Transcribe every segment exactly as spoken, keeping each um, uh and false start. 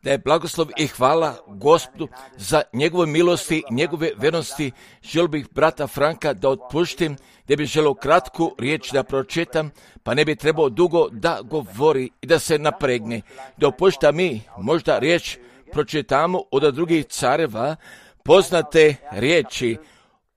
Da je blagoslov i hvala Gospodu za njegove milosti, njegove vernosti. Želio bih brata Franka da otpuštim, da bi želio kratku riječ da pročitam, pa ne bi trebao dugo da govori i da se napregne. Da opušta mi možda riječ pročitamo od drugih careva, poznate riječi,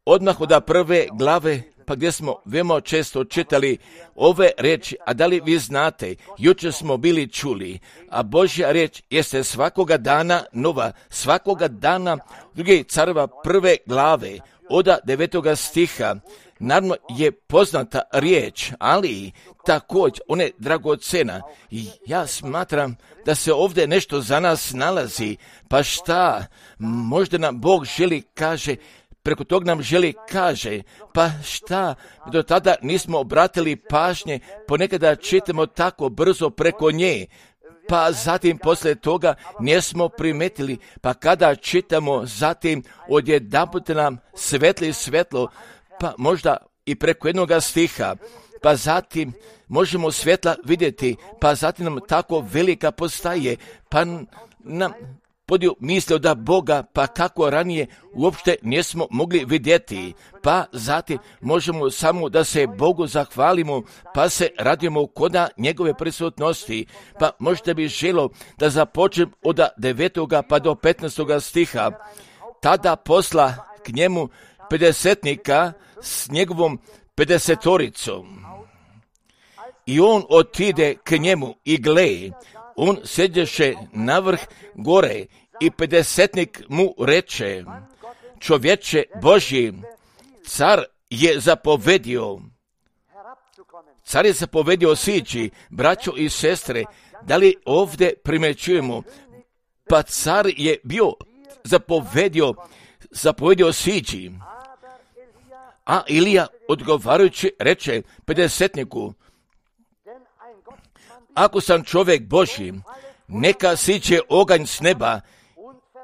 odmah od prve glave, pa gdje smo veoma često čitali ove riječi, a da li vi znate, jučer smo bili čuli, a Božja riječ jeste svakoga dana nova, svakoga dana drugih careva prve glave, od devetoga stiha. Naravno je poznata riječ, ali također ona je dragocena. I ja smatram da se ovdje nešto za nas nalazi, pa šta, možda nam Bog želi kaže, preko tog nam želi kaže, pa šta, do tada nismo obratili pažnje, ponekada čitamo tako brzo preko nje, pa zatim poslije toga nismo primetili, pa kada čitamo zatim odjedanput nam svetli svetlo, pa možda i preko jednoga stiha, pa zatim možemo svjetla vidjeti, pa zatim nam tako velika postaje, pa nam podiju mislio da Boga, pa kako ranije uopšte nismo mogli vidjeti, pa zatim možemo samo da se Bogu zahvalimo, pa se radimo koda njegove prisutnosti, pa možda bi želo da započnem od devetoga pa do petnaestoga stiha, tada posla k njemu pedesetnika s njegovom pedesetoricom. I on otide k njemu i gle, on sedješe na vrh gore i pedesetnik mu reče, čovječe Božji, car je zapovedio, car je zapovedio sići, braćo i sestre, da li ovdje primećujemo, pa car je bio zapovedio, zapovedio sići, a Ilija odgovarajući reče pedesetniku, ako sam čovjek Božji, neka siće oganj s neba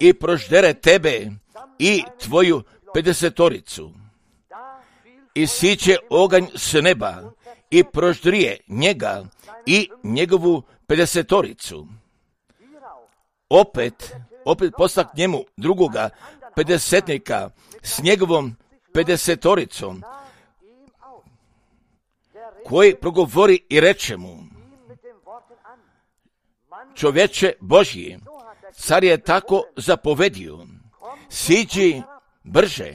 i proždere tebe i tvoju pedesetoricu. I siće oganj s neba i proždrije njega i njegovu pedesetoricu. Opet, opet posla k njemu drugoga pedesetnika s njegovom pedesetoricom, koji progovori i reče mu, čovječe Božji, car je tako zapovedio, siđi brže.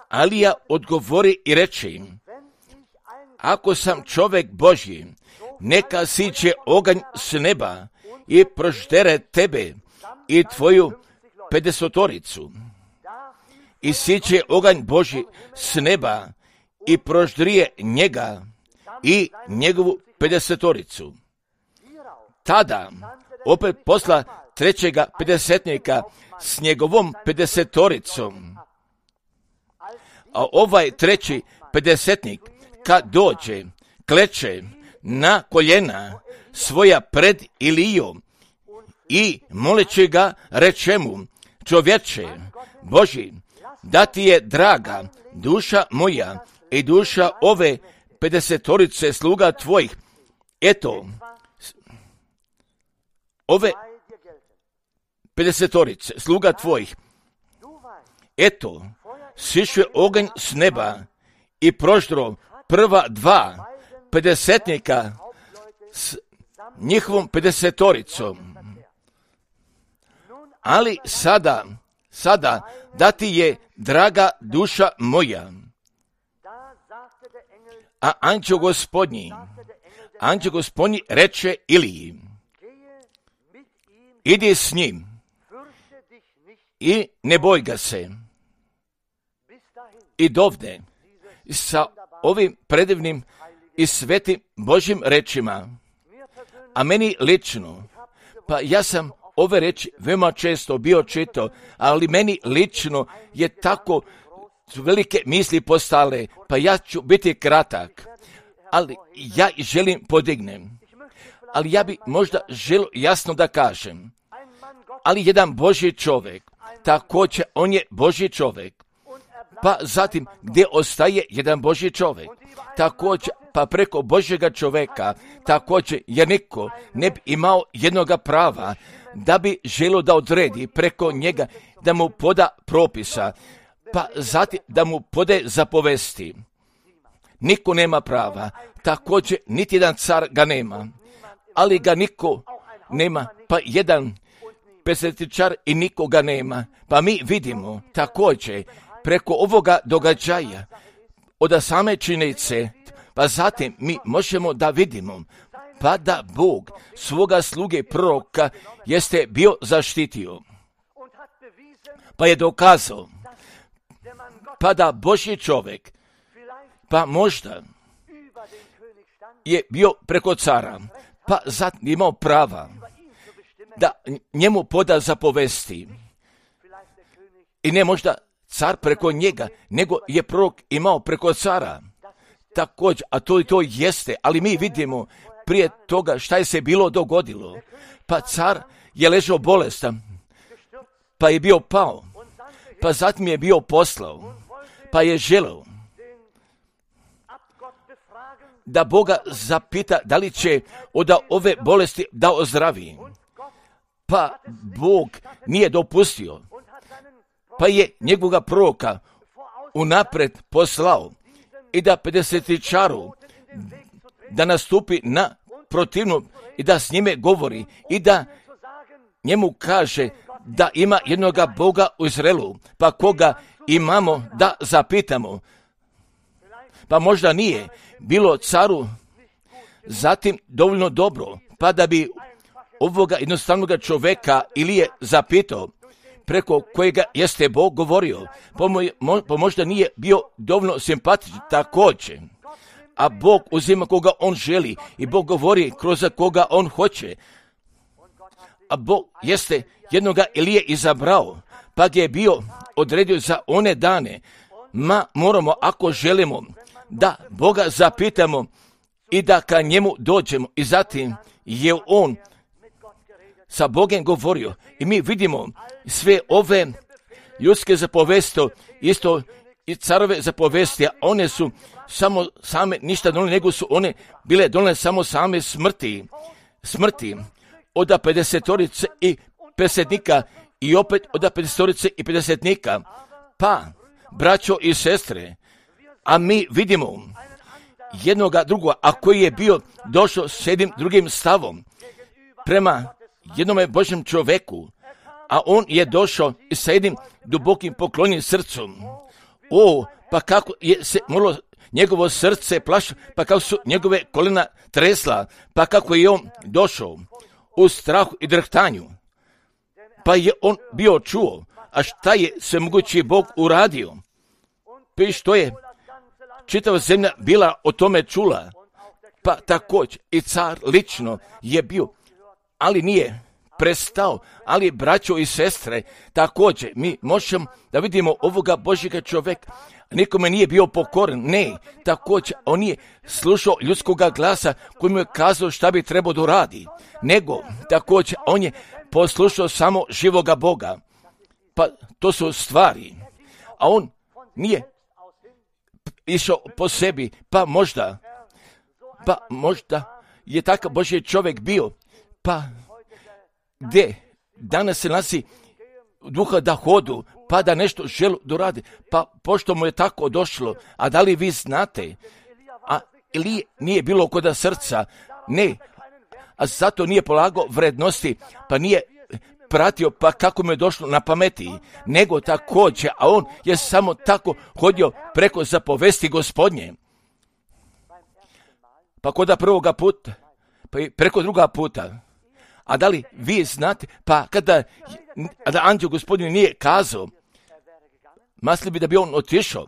Alija odgovori i reče im, ako sam čovjek Božji, neka siće oganj s neba i proždere tebe i tvoju pedesetoricu. I siće oganj Božji s neba i proždrije njega i njegovu pedesetoricu. Tada opet posla trećega pedesetnika s njegovom pedesetoricom. A ovaj treći pedesetnik kad dođe, kleče na koljena svoja pred Ilijom i moleći ga reče mu, čovječe Božji, da ti je draga duša moja i duša ove pedesetorice sluga tvojih, eto, ove pedesetorice, sluga tvojih, eto, sišao oganj s neba i proždro prva dva pedesetnika s njihovom pedesetoricom. Ali sada, sada, da ti je draga duša moja. A anđeo gospodnji, anđeo gospodnji reče Iliji, idi s njim i ne boj ga se. I dovde, sa ovim predivnim i svetim Božjim rečima, a meni lično, pa ja sam ove reči veoma često bio čitao, ali meni lično je tako velike misli postale, pa ja ću biti kratak, ali ja želim podignem. Ali ja bi možda želio jasno da kažem, ali jedan Božji čovjek, također on je Božji čovjek, pa zatim gdje ostaje jedan Božji čovjek. Također, pa preko Božjega čovjeka, također, jer niko ne bi imao jednoga prava da bi želio da odredi preko njega, da mu poda propisa, pa zatim da mu pode zapovesti. Niko nema prava, također niti jedan car ga nema, ali ga niko nema, pa jedan pesetičar i nikoga nema. Pa mi vidimo također preko ovoga događaja od same činjenice, pa zatim mi možemo da vidimo pa da Bog svoga sluge proroka jeste bio zaštitio, pa je dokazao pa da Božji čovjek pa možda je bio preko cara, pa zatim imao prava da njemu poda zapovesti. I ne možda car preko njega, nego je prorok imao preko cara. Također, a to i to jeste, ali mi vidimo prije toga šta je se bilo dogodilo. Pa car je ležao bolestan, pa je bio pao, pa zatim je bio poslao, pa je želeo da Boga zapita da li će od ove bolesti da ozdravi. Pa Bog nije dopustio, pa je njegovoga proroka unapred poslao i da pedesetičaru da nastupi na protivnu i da s njime govori i da njemu kaže da ima jednoga Boga u Izraelu, pa koga imamo da zapitamo. Pa možda nije bilo caru zatim dovoljno dobro, pa da bi ovoga jednostavnog čovjeka ili je zapitao preko kojega jeste Bog govorio, pa, moj, mo, pa možda nije bio dovoljno simpatičan također. A Bog uzima koga on želi i Bog govori kroz koga on hoće. A Bog jeste jednoga Elije izabrao, pa ga je bio odredio za one dane. Ma moramo, ako želimo, da Boga zapitamo i da ka njemu dođemo. I zatim je on sa Bogom govorio. I mi vidimo sve ove ljudske zapovesti, isto i carove zapovesti, a one su samo same ništa donijele, nego su one bile donijele samo same smrti. Smrti od pedesetorice i pedesetnika i opet od pedesetorice i pedesetnika. Pa, braćo i sestre, a mi vidimo jednoga drugoga, a koji je bio došao s jednim drugim stavom prema jednome Božjem čovjeku, a on je došao sa jednim dubokim poklonjenim srcom. O, pa kako je se moralo njegovo srce plašilo, pa kako su njegove kolena tresla, pa kako je on došao u strahu i drhtanju. Pa je on bio čuo, a šta je svemogući Bog uradio? Pa i što je čitava zemlja bila o tome čula, pa također i car lično je bio, ali nije prestao, ali braćo i sestre, također mi možemo da vidimo ovoga Božjega čovjeka, nikome nije bio pokoran, ne, također on nije slušao ljudskoga glasa koji mu je kazao šta bi trebao da radi, nego također on je poslušao samo živoga Boga, pa to su stvari, a on nije išao po sebi, pa možda, pa možda je takav Božji čovjek bio, pa gdje danas se nalazi duha da hodu, pa da nešto želi doradi, pa pošto mu je tako došlo, a da li vi znate, a ili nije bilo koda srca, ne, a zato nije polagao vrednosti, pa nije pratio pa kako mu je došlo na pameti, nego također, a on je samo tako hodio preko zapovesti Gospodnje. Pa koda prvoga puta, pa i preko druga puta. A da li vi znate, pa kada da anđeo Gospodin nije kazao, masli bi da bi on otišao,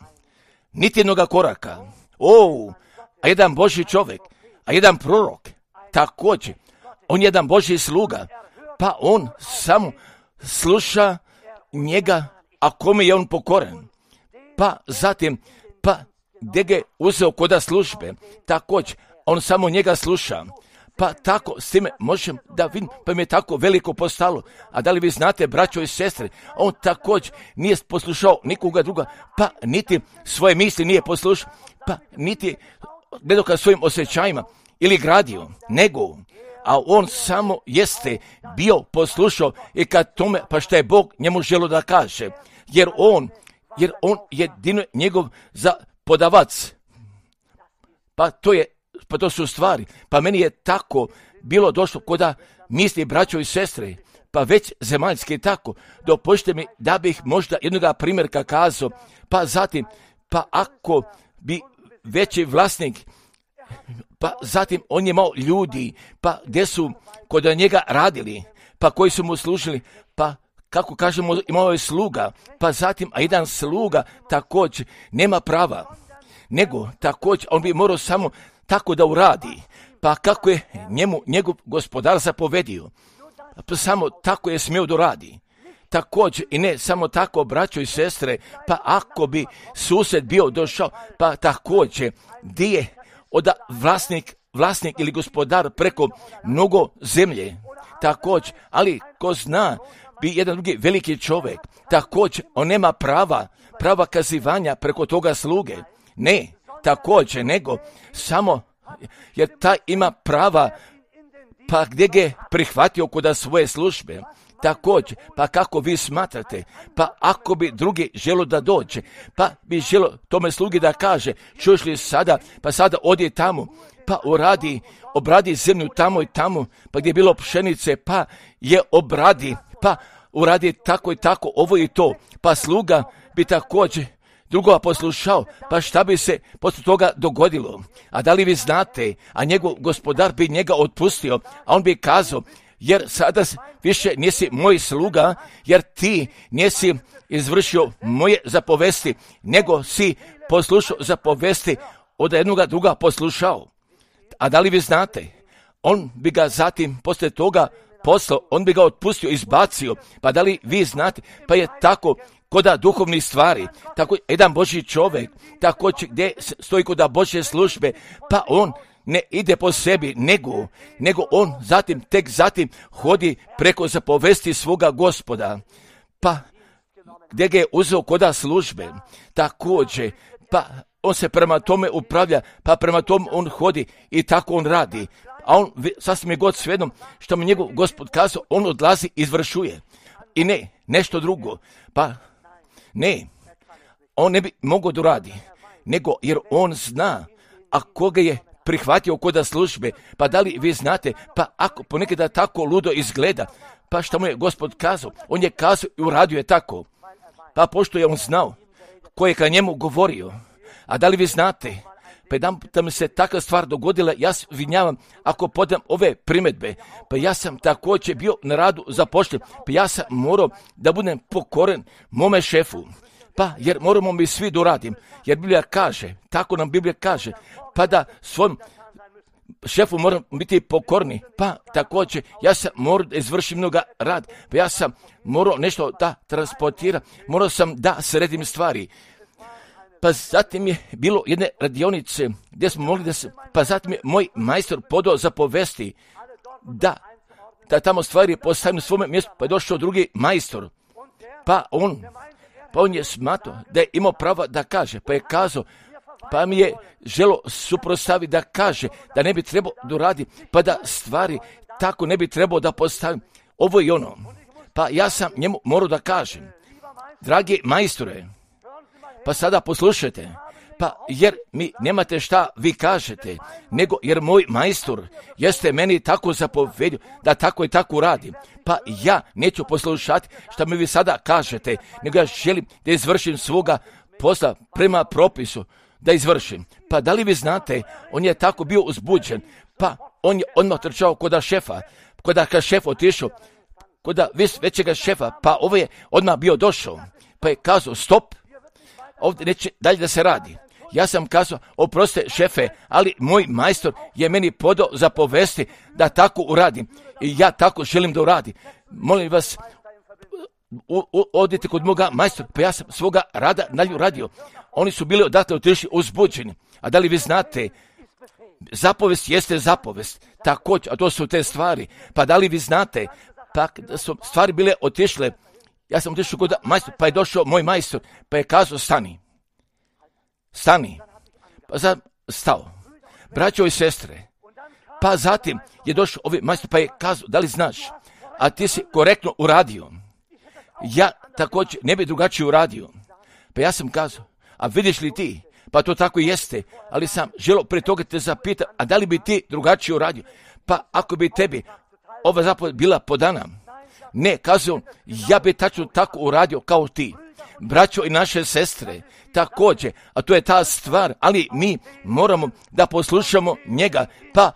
niti jednoga koraka. O, a jedan Božji čovjek, a jedan prorok, također, on je jedan Božji sluga, pa on samo sluša njega, a kome je on pokoran. Pa zatim, pa gdje ga je uzeo koda službe, također, on samo njega sluša. Pa tako s time možem da vidim, pa mi je tako veliko postalo. A da li vi znate, braćo i sestre, on također nije poslušao nikoga druga, pa niti svoje misli nije poslušao, pa niti gledao svojim osjećajima ili gradio, nego, a on samo jeste bio poslušao i kad tome, pa šta je Bog njemu želio da kaže, jer on, jer on jedino njegov zapodavac, pa to je, pa to su stvari, pa meni je tako bilo došlo koda misli braćo i sestre, pa već zemaljski tako, dopušte mi da bih možda jednoga primjerka kazao, pa zatim, pa ako bi veći vlasnik, pa zatim on je imao ljudi, pa gdje su kod njega radili, pa koji su mu služili, pa kako kažemo imao je sluga, pa zatim, a jedan sluga također nema prava, nego također on bi morao samo tako da uradi, pa kako je njemu njegov gospodar zapovedio, pa samo tako je smio da uradi. Također i ne samo tako, braćo i sestre, pa ako bi susjed bio došao, pa također gdje je od vlasnik, vlasnik ili gospodar preko mnogo zemlje, također, ali ko zna, bi jedan drugi veliki čovjek, također on nema prava, prava kazivanja preko toga sluge, ne, također, nego samo, jer taj ima prava, pa gdje ga je prihvatio kod svoje službe, također, pa kako vi smatrate, pa ako bi drugi želo da dođe, pa bi želo tome slugi da kaže, čuješ li sada, pa sada odi tamo, pa uradi, obradi zemlju tamo i tamo, pa gdje je bilo pšenice, pa je obradi, pa uradi tako i tako, ovo i to, pa sluga bi također drugoga poslušao, pa šta bi se poslije toga dogodilo? A da li vi znate, a njegov gospodar bi njega otpustio, a on bi kazao, jer sada više nisi moj sluga, jer ti nisi izvršio moje zapovesti, nego si poslušao zapovesti od jednoga druga poslušao. A da li vi znate, on bi ga zatim poslije toga poslao, on bi ga otpustio, izbacio, pa da li vi znate, pa je tako koda duhovnih stvari, tako jedan Božji čovjek, tako gdje stoji koda Božje službe, pa on ne ide po sebi, nego, nego on zatim, tek zatim hodi preko zapovesti svoga Gospoda, pa gdje ga je uzeo koda službe, također, pa on se prema tome upravlja, pa prema tome on hodi i tako on radi, a on sasvim je god svejedno što mi njegov Gospod kazao, on odlazi, izvršuje i ne, nešto drugo, pa ne, on ne bi mogao da radi, nego jer on zna, a koga je prihvatio koda službe, pa da li vi znate, pa ako ponekada tako ludo izgleda, pa što mu je Gospod kazao, on je kazao i uradio je tako, pa pošto je on znao ko je ka njemu govorio, a da li vi znate, pa jedan da mi se takva stvar dogodila, ja se vinjavam ako podam ove primjedbe, pa ja sam također bio na radu zapošljen, pa ja sam morao da budem pokoren mome šefu, pa jer moramo mi svi doradim, jer Biblija kaže, tako nam Biblija kaže, pa da svom šefu moram biti pokorni, pa također ja sam morao da izvršim mnoga rad, pa ja sam morao nešto da transportiram, morao sam da sredim stvari. Pa zatim je bilo jedne radionice gdje smo mogli da se, pa zatim je moj majstor podao zapovesti da, da tamo stvari postavim na svome mjestu, pa je došao drugi majstor, pa on, pa on je smatrao da je imao pravo da kaže, pa je kazao, pa mi je želo suprostaviti da kaže, da ne bi trebao da radi, pa da stvari tako ne bi trebao da postavim, ovo i ono, pa ja sam njemu morao da kažem, dragi majstore, pa sada poslušajte, pa jer mi nemate šta vi kažete, nego jer moj majstor jeste meni tako zapovedio da tako i tako radim, pa ja neću poslušati šta mi vi sada kažete, nego ja želim da izvršim svoga posla prema propisu, da izvršim. Pa da li vi znate, on je tako bio uzbuđen, pa on je odmah trčao koda šefa, koda ka šef otišao, koda većega šefa, pa ovo je odmah bio došao, pa je kazao stop, ovdje neće dalje da se radi. Ja sam kazao, oproste šefe, ali moj majstor je meni podao zapovesti da tako uradim i ja tako želim da uradim. Molim vas, u, u, odite kod moga majstora, pa ja sam svoga rada dalje uradio. Oni su bili odatle otišli uzbuđeni. A da li vi znate, zapovest jeste zapovest, također, a to su te stvari. Pa da li vi znate, pa da su stvari bile otišle, ja sam otišao kod majstor, pa je došao moj majstor, pa je kazao stani, stani, pa sam stao, braćo i sestre, pa zatim je došao ovi majstor, pa je kazao, da li znaš, a ti si korektno uradio, ja također ne bi drugačije uradio, pa ja sam kazao, a vidiš li ti, pa to tako jeste, ali sam želio pre toga te zapitati, a da li bi ti drugačije uradio, pa ako bi tebi ova zapoved bila podana, ne, kazao, ja bi tačno tako uradio kao ti, braćo i naše sestre, također, a to je ta stvar, ali mi moramo da poslušamo njega, pa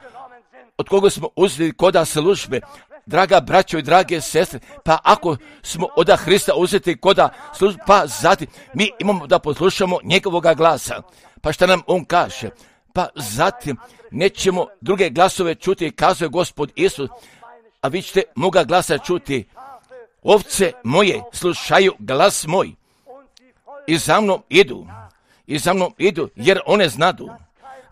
od koga smo uzeli koda službe, draga braćo i drage sestre, pa ako smo od Hrista uzeti koda službe, pa zatim mi imamo da poslušamo njegovoga glasa, pa šta nam on kaže, pa zatim nećemo druge glasove čuti, kazuje Gospod Isus, a vi ćete moga glasa čuti, ovce moje slušaju glas moj i za mnom idu, i za mnom idu, jer one znadu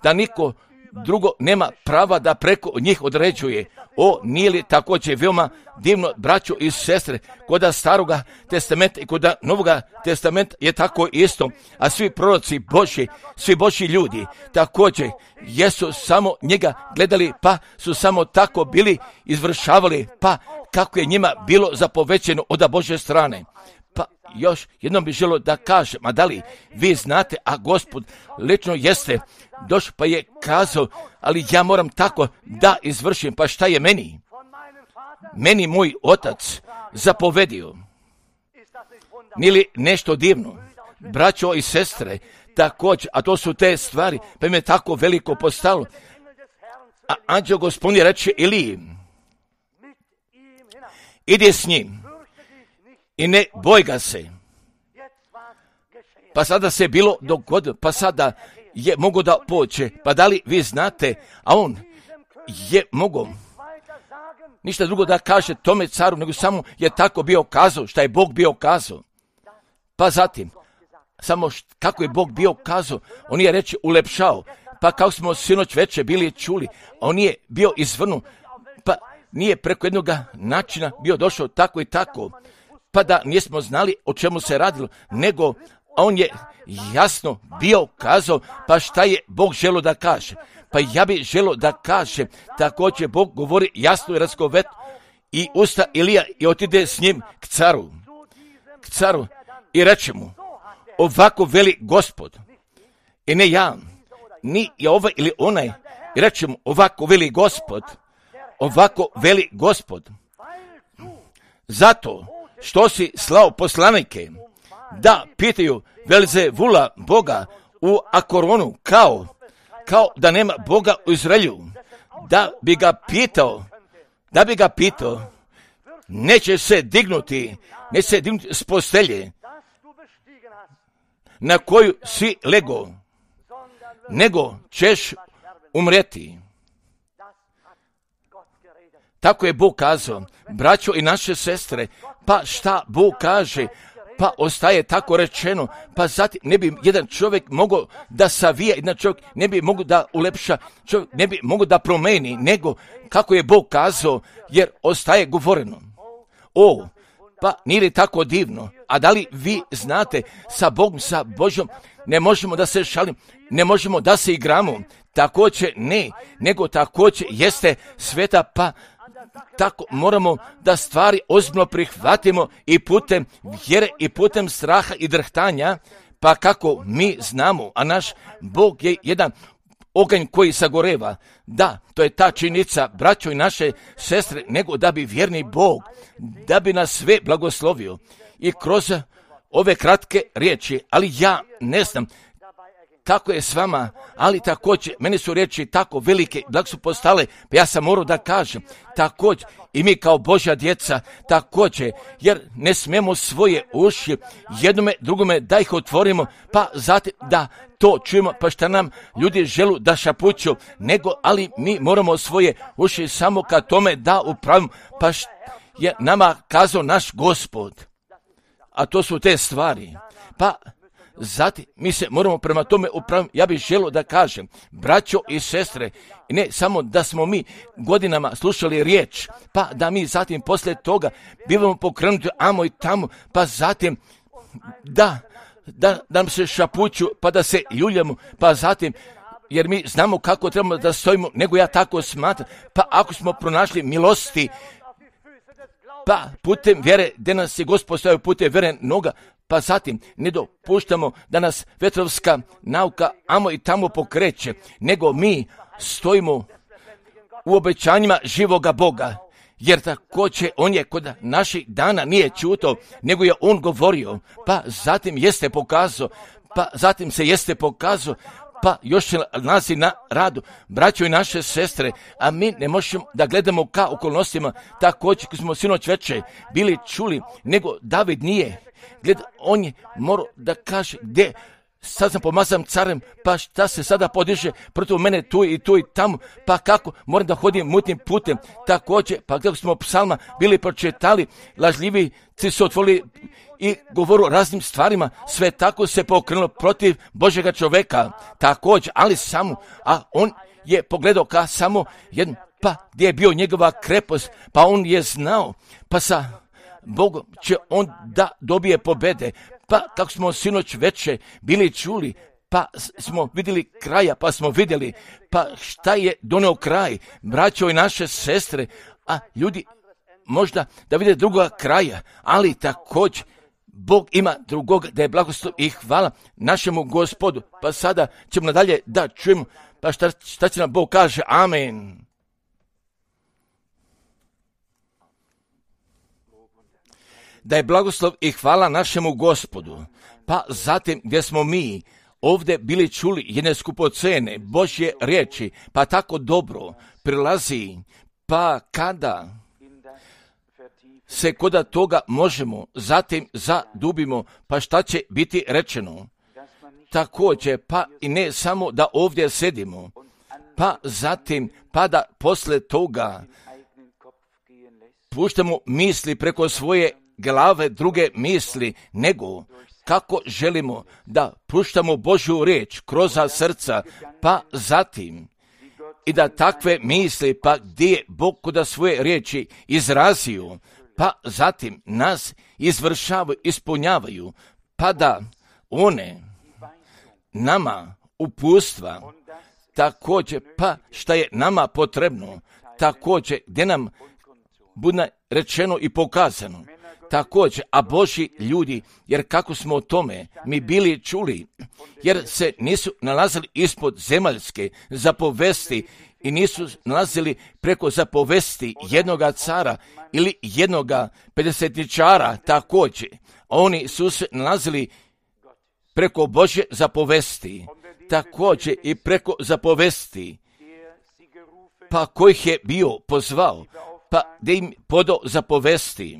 da niko drugo nema prava da preko njih određuje. O, nije li također veoma divno, braćo i sestre, koda staroga testamenta i koda novoga testamenta je tako isto, a svi proroci Božji, svi Božji ljudi također jesu samo njega gledali, pa su samo tako bili izvršavali, pa kako je njima bilo zapovećeno od Božje strane. Pa još jednom bih želio da kažem, a da li vi znate, a Gospod lično jeste došao pa je kazao, ali ja moram tako da izvršim, pa šta je meni? Meni moj otac zapovedio. Nije li nešto divno? Braćo i sestre, također, a to su te stvari, pa im je tako veliko postalo. A anđeo Gospodnji reče Iliji, idi s njim i ne boj ga se. Pa sada se bilo dogodilo, pa sada je mogo da poće, pa da li vi znate, a on je mogo ništa drugo da kaže tome caru, nego samo je tako bio kazao, šta je Bog bio kazao. Pa zatim, samo št, kako je Bog bio kazao, on je reče ulepšao, pa kao smo sinoć veče bili čuli, on je bio izvrnu, pa nije preko jednog načina bio došao tako i tako, pa da nismo znali o čemu se radilo, nego on je jasno bio kazao, pa šta je Bog želio da kaže. Pa ja bih želio da kaže, također Bog govori jasno i razgovetno, i usta Ilija i otide s njim k caru, k caru i reče mu, ovako veli Gospod, i ne ja, ni je ovaj ili onaj, i reče mu, ovako veli Gospod, ovako veli Gospod, zato što si slao poslanike, da pitaju Velzevula Boga u Akoronu, kao, kao da nema Boga u Izraelju, da bi ga pitao, da bi ga pitao, neće se dignuti, neće se dignuti s postelje na koju si lego, nego ćeš umreti. Tako je Bog kazao, braćo i naše sestre, pa šta Bog kaže, pa ostaje tako rečeno, pa zatim ne bi jedan čovjek mogao da savija, jedan čovjek ne bi mogao da ulepša, čovjek ne bi mogao da promeni, nego kako je Bog kazao, jer ostaje govoreno. O, pa nije li tako divno? A da li vi znate, sa Bogom, sa Božjom, ne možemo da se šalim, ne možemo da se igramo, također ne, nego također jeste sveta, pa tako moramo da stvari ozbiljno prihvatimo i putem vjere i putem straha i drhtanja, pa kako mi znamo, a naš Bog je jedan oganj koji sagoreva. Da, to je ta činjenica, braćo i naše sestre, nego da bi vjerni Bog, da bi nas sve blagoslovio. I kroz ove kratke riječi, ali ja ne znam kako je s vama, ali također, meni su riječi tako velike, da su postale, pa ja sam morao da kažem, također, i mi kao Božja djeca, također, jer ne smijemo svoje uši jednome, drugome da ih otvorimo, pa zatim da to čujemo, pa šta nam ljudi želu da šapuću, nego, ali mi moramo svoje uši samo ka tome da upravimo, pa šta je nama kazao naš Gospod. A to su te stvari. Pa zatim mi se moramo prema tome upraviti. Ja bih želio da kažem, braćo i sestre, ne samo da smo mi godinama slušali riječ, pa da mi zatim poslije toga bivamo pokrenuti amo i tamo, pa zatim da, da, da nam se šapuću, pa da se ljuljamo, pa zatim jer mi znamo kako trebamo da stojimo, nego ja tako smatram, pa ako smo pronašli milosti, pa putem vjere, gdje nas je Gospod stavio putem vjere noga, pa zatim ne dopuštamo da nas vetrovska nauka amo i tamo pokreće, nego mi stojimo u obećanjima živoga Boga, jer također on je kod naših dana nije čuto, nego je on govorio, pa zatim jeste pokazao, pa zatim se jeste pokazao, pa još se nalazi na radu, braćo i naše sestre, a mi ne možemo da gledamo ka okolnostima, također koji smo sinoć večer bili čuli, nego David nije. Gled, on je morao da kaže gdje, sad sam pomazan carem, pa šta se sada podiže protiv mene tu i tu i tamo, pa kako moram da hodim mutnim putem, također, pa gdje smo psalma bili pročitali, lažljivici su otvorili i govoru o raznim stvarima, sve tako se pokrenulo protiv Božjega čoveka, također, ali samo, a on je pogledao ka samo jedan, pa gdje je bio njegova krepost, pa on je znao, pa sa Bogom će on da dobije pobede, pa kako smo sinoć večer bili čuli, pa smo vidjeli kraja, pa smo vidjeli, pa šta je doneo kraj, braćo i naše sestre, a ljudi možda da vide drugoga kraja, ali također Bog ima drugog, da je blagoslov i hvala našemu Gospodu. Pa sada ćemo nadalje da čujemo, pa šta, šta će nam Bog kaže, amen. Da je blagoslov i hvala našemu Gospodu. Pa zatim gdje smo mi ovdje bili čuli jedne skupocene Božje riječi, pa tako dobro prilazi, pa kada se koda toga možemo, zatim zadubimo, pa šta će biti rečeno? Također, pa i ne samo da ovdje sedimo, pa zatim, pa da posle toga puštamo misli preko svoje glave, druge misli, nego kako želimo da puštamo Božju riječ kroz srca, pa zatim i da takve misli, pa gdje je Bog koda svoje riječi izrazio, pa zatim nas izvršavaju, ispunjavaju, pa da one nama upustva, također, pa šta je nama potrebno, također, gdje nam bude rečeno i pokazano, također, a Božji ljudi, jer kako smo o tome mi bili čuli, jer se nisu nalazili ispod zemaljske zapovesti i nisu nalazili preko zapovesti jednoga cara ili jednoga pedesetničara, također, oni su se nalazili preko Božje zapovesti, također i preko zapovesti, pa kojih je bio pozvao, pa da im podao zapovesti,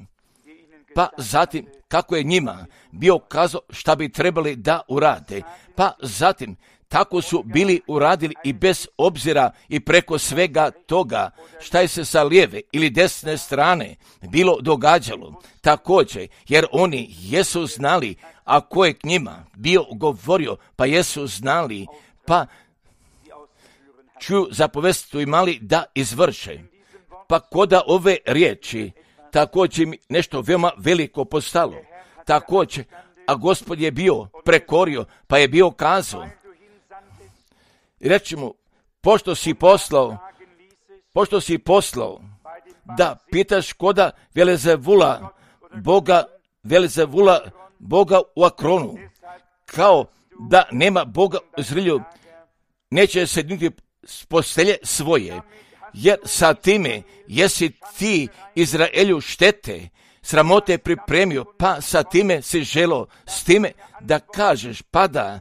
pa zatim kako je njima bio kazao šta bi trebali da urade, pa zatim tako su bili uradili i bez obzira i preko svega toga šta je se sa lijeve ili desne strane bilo događalo, također, jer oni jesu znali, a ko je k njima bio govorio, pa jesu znali, pa čuju zapovest su imali da izvrše. Pa koda ove riječi, također mi nešto veoma veliko postalo, također, a Gospod je bio prekorio, pa je bio kazao, reći mu, pošto si poslao, pošto si poslao, da pitaš koda Velezevula, Boga, Velezevula, Boga u Akronu, kao da nema Boga u Izraelju, neće se niti s postelje svoje, jer sa time jesi ti Izraelju štete, sramote pripremio, pa sa time si želo, s time da kažeš, pa da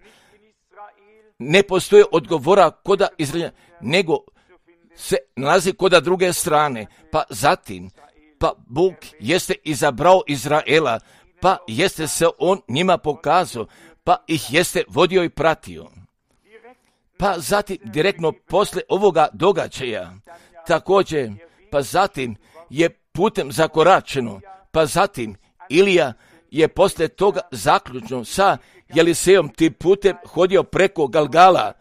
ne postoje odgovora koda Izraelja, nego se nalazi koda druge strane, pa zatim, pa Bog jeste izabrao Izraela, pa jeste se on njima pokazao, pa ih jeste vodio i pratio. Pa zatim, direktno posle ovoga događaja, također, pa zatim je putem zakoračeno, pa zatim Ilija je posle toga zaključno sa Jelisejom ti putem hodio preko Galgala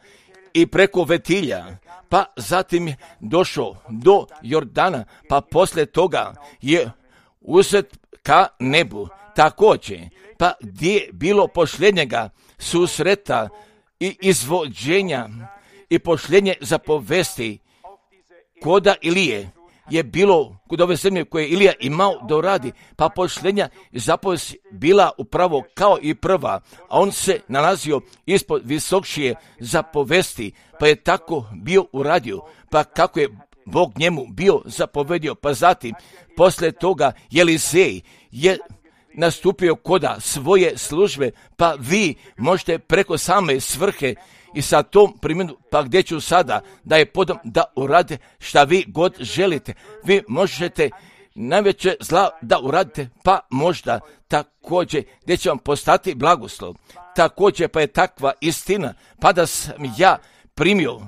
i preko Vetilja, pa zatim je došao do Jordana, pa poslije toga je uzet ka nebu također, pa gdje je bilo posljednjega susreta i izvođenja i posljednje zapovesti koda Ilije je bilo kod ove zemlje koje je Ilija imao da uradi, pa posljednja zapovest bila upravo kao i prva, a on se nalazio ispod visokšije zapovesti, pa je tako bio uradio, pa kako je Bog njemu bio zapovedio, pa zatim poslije toga Jelisej je nastupio koda svoje službe, pa vi možete preko same svrhe i sa tom primjenu, pa gdje ću sada da je podam da urade šta vi god želite. Vi možete najveće zla da uradite, pa možda također gdje će vam postati blagoslov. Također pa je takva istina, pa da sam ja primio,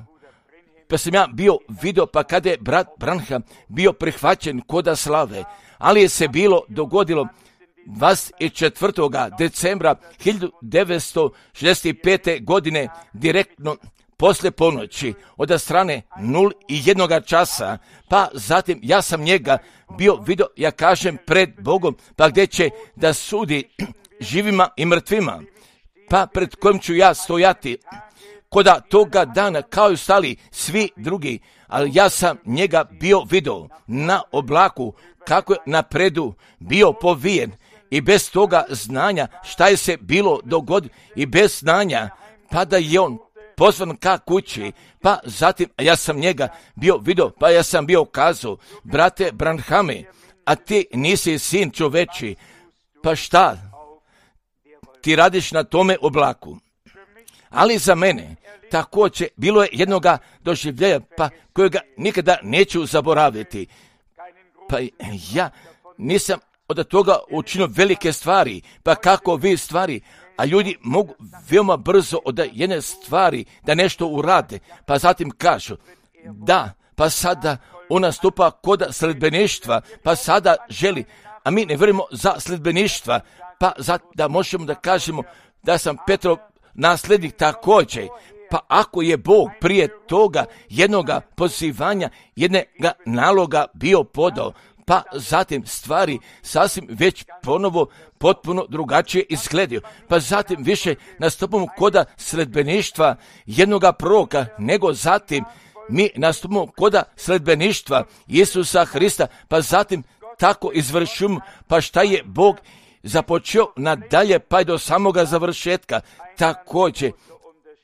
pa sam ja bio vidio, pa kada je brat Branham bio prihvaćen koda slave, ali je se bilo dogodilo dvadeset četvrtog decembra hiljadu devetsto šezdeset pete. godine direktno poslije ponoći od strane nula i jednoga časa, pa zatim ja sam njega bio vidio, ja kažem, pred Bogom, pa gdje će da sudi živima i mrtvima, pa pred kojim ću ja stojati koda toga dana kao i ostali svi drugi, ali ja sam njega bio vidio na oblaku kako je napredu bio povijen i bez toga znanja šta je se bilo dogodilo i bez znanja, pa da je on pozvan ka kući, pa zatim ja sam njega bio vidio, pa ja sam bio kazao, brate Branhame, a ti nisi sin čoveči, pa šta ti radiš na tome oblaku? Ali za mene također bilo je jednoga doživljaja, pa kojega nikada neću zaboraviti. Pa ja nisam od toga učinio velike stvari, pa kako vi stvari, a ljudi mogu veoma brzo od jedne stvari da nešto urade, pa zatim kažu, da, pa sada on nastupa kod sledbeništva, pa sada želi, a mi ne vjerujemo za sledbeništva, pa zato da možemo da kažemo da sam Petrov nasljednik također, pa ako je Bog prije toga jednoga pozivanja, jednoga naloga bio podao, pa zatim stvari sasvim već ponovo potpuno drugačije izgledaju. Pa zatim više nastupamo koda sledbeništva jednoga proroka, nego zatim mi nastupamo koda sledbeništva Isusa Hrista, pa zatim tako izvršimo, pa šta je Bog započeo nadalje, pa i do samoga završetka također.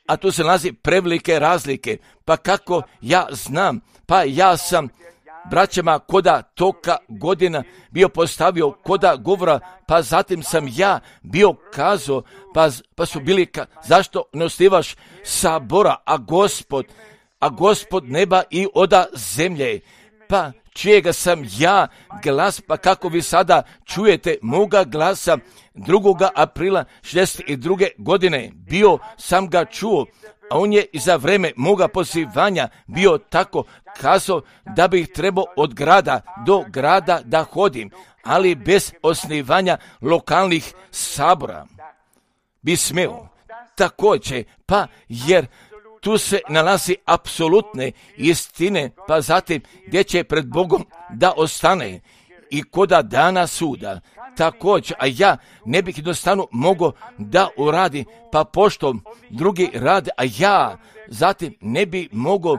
A tu se nalazi prevelike razlike, pa kako ja znam, pa ja sam braćama koda toka godina bio postavio koda govora, pa zatim sam ja bio kazao, pa, pa su bili ka, zašto ne osnivaš sabora, a gospod, a gospod neba i oda zemlje, pa čijega sam ja glas, pa kako vi sada čujete moga glasa drugog aprila šezdeset druge. godine, bio sam ga čuo, a on je i za vreme moga pozivanja bio tako kazao da bih trebao od grada do grada da hodim, ali bez osnivanja lokalnih sabora bi smeo. Također, pa jer tu se nalazi apsolutne istine, pa zatim gdje će pred Bogom da ostane i koda dana suda. Također, a ja ne bih jednostavno mogao da uradi, pa pošto drugi rade, a ja zatim ne bi mogao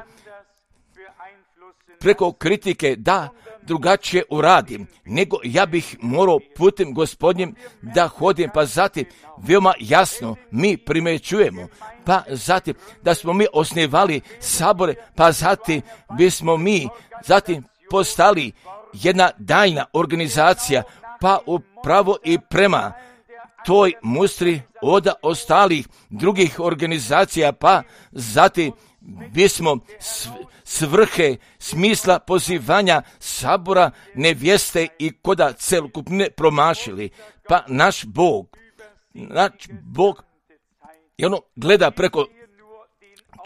preko kritike da drugačije uradim, nego ja bih morao putem Gospodnjim da hodim, pa zatim veoma jasno mi primećujemo, pa zatim da smo mi osnivali sabore, pa zatim bismo mi zatim postali jedna daljna organizacija, pa upravo i prema toj mustri od ostalih drugih organizacija, pa zatim bismo svrhe smisla pozivanja sabora nevjeste i koda celokupne promašili. Pa naš Bog, naš Bog je ono gleda preko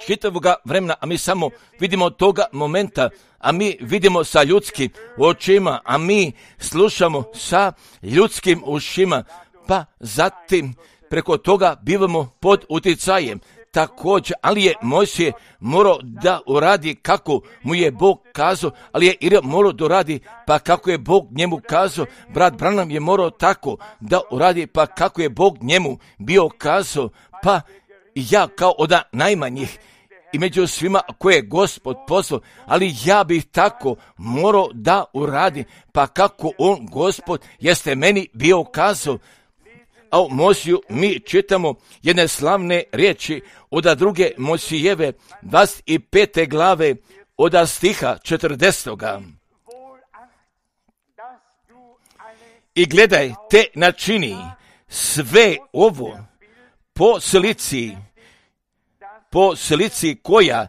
čitavoga vremena, a mi samo vidimo toga momenta, a mi vidimo sa ljudskim očima, a mi slušamo sa ljudskim ušima, pa zatim preko toga bivamo pod utjecajem. Također, ali je Mojsije morao da uradi kako mu je Bog kazao, ali je Ilija morao da uradi pa kako je Bog njemu kazao. Brat Branham je morao tako da uradi pa kako je Bog njemu bio kazao. Pa ja kao od najmanjih i među svima koje je Gospod poslao, ali ja bih tako morao da uradi pa kako on, Gospod, jeste meni bio kazao. A u Mojsiju mi čitamo jedne slavne riječi od druge Mojsijeve dvadeset pete glave od stiha četrdesetoga. I gledaj, te načini sve ovo po slici, po slici koja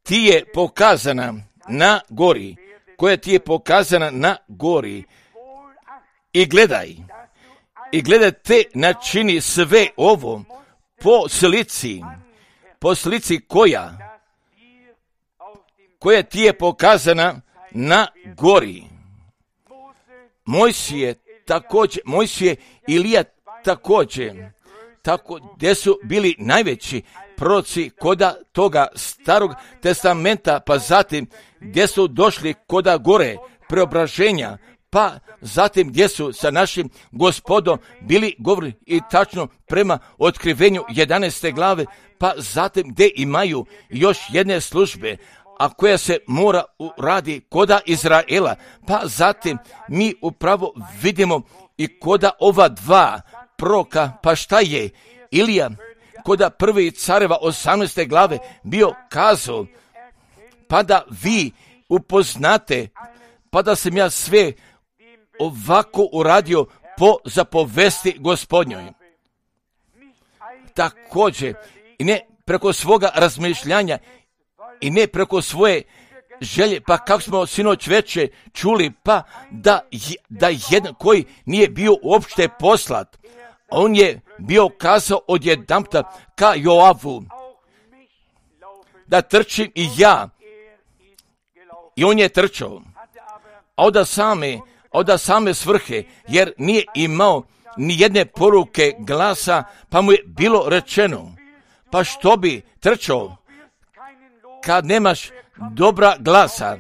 ti je pokazana na gori, koja ti je pokazana na gori. I gledaj, I gledaj, te načini sve ovo po slici, po slici koja, koja ti je pokazana na gori. Mojsije također, Mojsije i Ilija također, tako gdje su bili najveći proroci koda toga starog testamenta, pa zatim gdje su došli koda gore preobraženja, pa zatim gdje su sa našim Gospodom bili govorili i tačno prema otkrivenju jedanaeste glave, pa zatim gdje imaju još jedne službe, a koja se mora uradi koda Izraela, pa zatim mi upravo vidimo i koda ova dva proroka, pa šta je Ilija koda prvi careva osamnaeste glave bio kazao, pa da vi upoznate, pa da sam ja sve ovako uradio po zapovesti Gospodnjoj. Također, i ne preko svoga razmišljanja, i ne preko svoje želje, pa kako smo sinoć veče čuli, pa da, da jedan koji nije bio uopšte poslat, on je bio kazao odjedanputa ka Joavu, da trčim i ja, i on je trčao, a onda same, od same svrhe, jer nije imao ni jedne poruke glasa, pa mu je bilo rečeno, pa što bi trčao kad nemaš dobra glasa,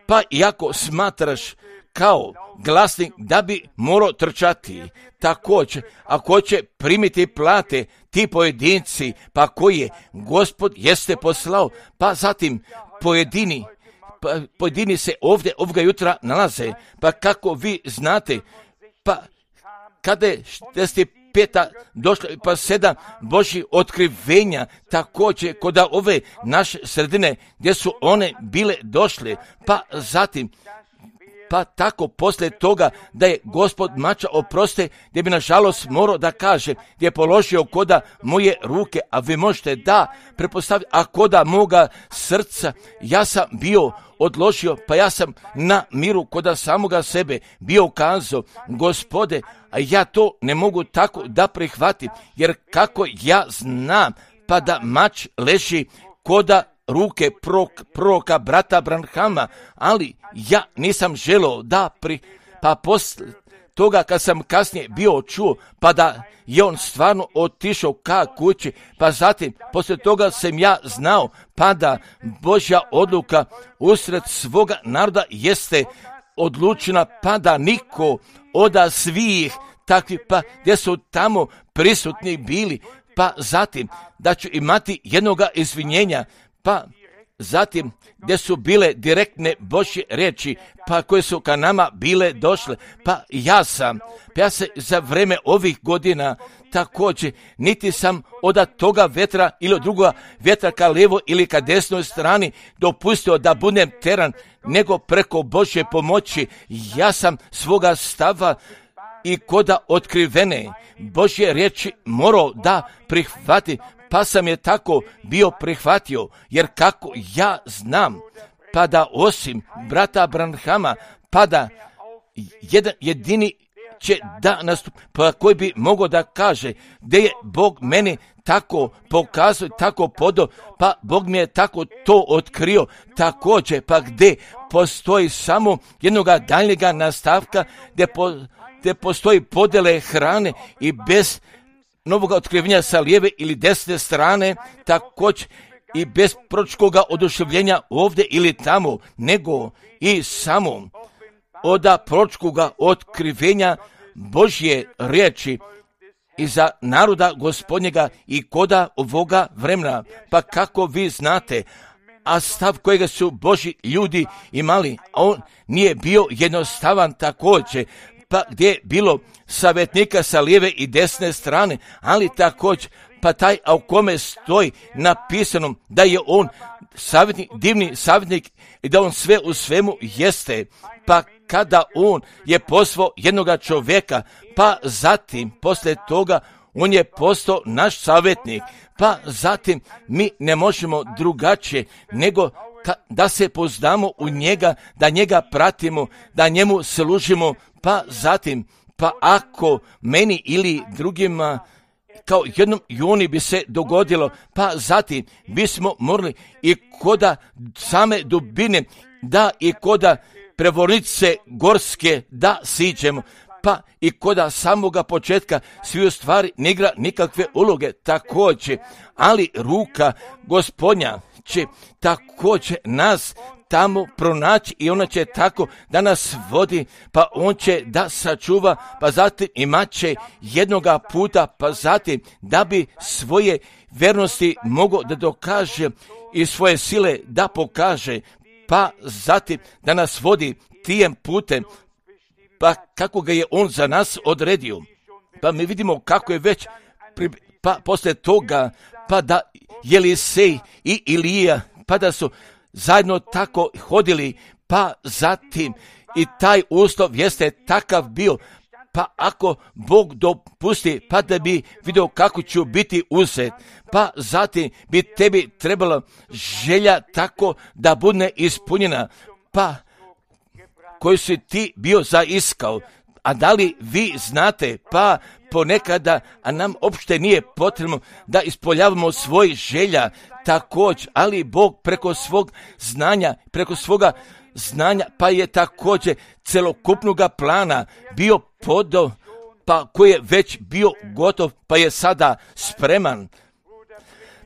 pa iako smatraš kao glasnik da bi morao trčati. Također, ako će primiti plate ti pojedinci, pa koji je Gospod jeste poslao, pa zatim pojedini Pa pojedini se ovdje ovoga jutra nalaze, pa kako vi znate, pa kada je šezdeset peta došla, pa sedam Božjih otkrivenja, također kod ove naše sredine gdje su one bile došle, pa zatim, pa tako poslije toga da je Gospod mača oproste, gdje bi nažalost morao da kaže, gdje je položio koda moje ruke, a vi možete da prepostaviti, a koda moga srca, ja sam bio odložio, pa ja sam na miru koda samoga sebe bio kazao, Gospode, a ja to ne mogu tako da prihvatim, jer kako ja znam, pa da mač leži koda ruke proroka brata Branhama, ali ja nisam želio da pri, pa poslije toga kad sam kasnije bio čuo, pa da je on stvarno otišao ka kući, pa zatim poslije toga sam ja znao, pa da Božja odluka usred svoga naroda jeste odlučena, pa da niko od svih takvih, pa gdje su tamo prisutni bili, pa zatim da ću imati jednoga izvinjenja, pa zatim gdje su bile direktne Božje riječi, pa koje su ka nama bile došle, pa ja sam, pa ja se za vreme ovih godina također niti sam od toga vetra ili od drugoga vetra ka lijevo ili ka desnoj strani dopustio da budem teran, nego preko Božje pomoći ja sam svoga stava i koda otkrivene Božje riječi morao da prihvati, pa sam je tako bio prihvatio, jer kako ja znam, pa da osim brata Branhama, pa da jedan jedini će da nastup, pa koji bi mogao da kaže gdje je Bog meni tako pokazao, tako podao, pa Bog mi je tako to otkrio, također, pa gdje postoji samo jednoga daljnjega nastavka, gdje, po, gdje postoji podjele hrane i bez novog otkrivenja sa lijeve ili desne strane, također i bez proročkoga oduševljenja ovdje ili tamo, nego i samo od proročkoga otkrivenja Božje riječi i za naroda Gospodnjega i koda ovoga vremena. Pa kako vi znate, a stav kojega su Božji ljudi imali, a on nije bio jednostavan također, pa gdje je bilo savjetnika sa lijeve i desne strane, ali također pa taj a u kome stoji napisano da je on savjetnik, divni savjetnik i da on sve u svemu jeste. Pa kada on je poslao jednoga čovjeka, pa zatim poslije toga on je postao naš savjetnik, pa zatim mi ne možemo drugačije nego ka, da se poznamo u njega, da njega pratimo, da njemu služimo, pa zatim, pa ako meni ili drugima kao jednom juni bi se dogodilo, pa zatim bismo morali i koda same dubine, da i koda prevornice gorske da siđemo, pa i koda samoga početka svi u stvari ne igra nikakve uloge također, ali ruka Gospodnja će također nas tamo pronaći i ona će tako da nas vodi, pa on će da sačuva, pa zatim imat će jednoga puta, pa zatim da bi svoje vernosti mogao da dokaže i svoje sile da pokaže, pa zatim da nas vodi tijem putem, pa kako ga je on za nas odredio. Pa mi vidimo kako je već, pri, pa poslije toga, pa da Jelisej i Ilija, pa da su zajedno tako hodili, pa zatim i taj uslov jeste takav bio, pa ako Bog dopusti, pa da bi vidio kako ću biti uzet, pa zatim bi tebi trebala želja tako da bude ispunjena, pa koju si ti bio zaiskao. A da li vi znate, pa ponekada, a nam uopšte nije potrebno da ispoljavamo svoj želja također, ali Bog preko svog znanja, preko svoga znanja, pa je također celokupnoga plana bio podao, pa koji je već bio gotov, pa je sada spreman.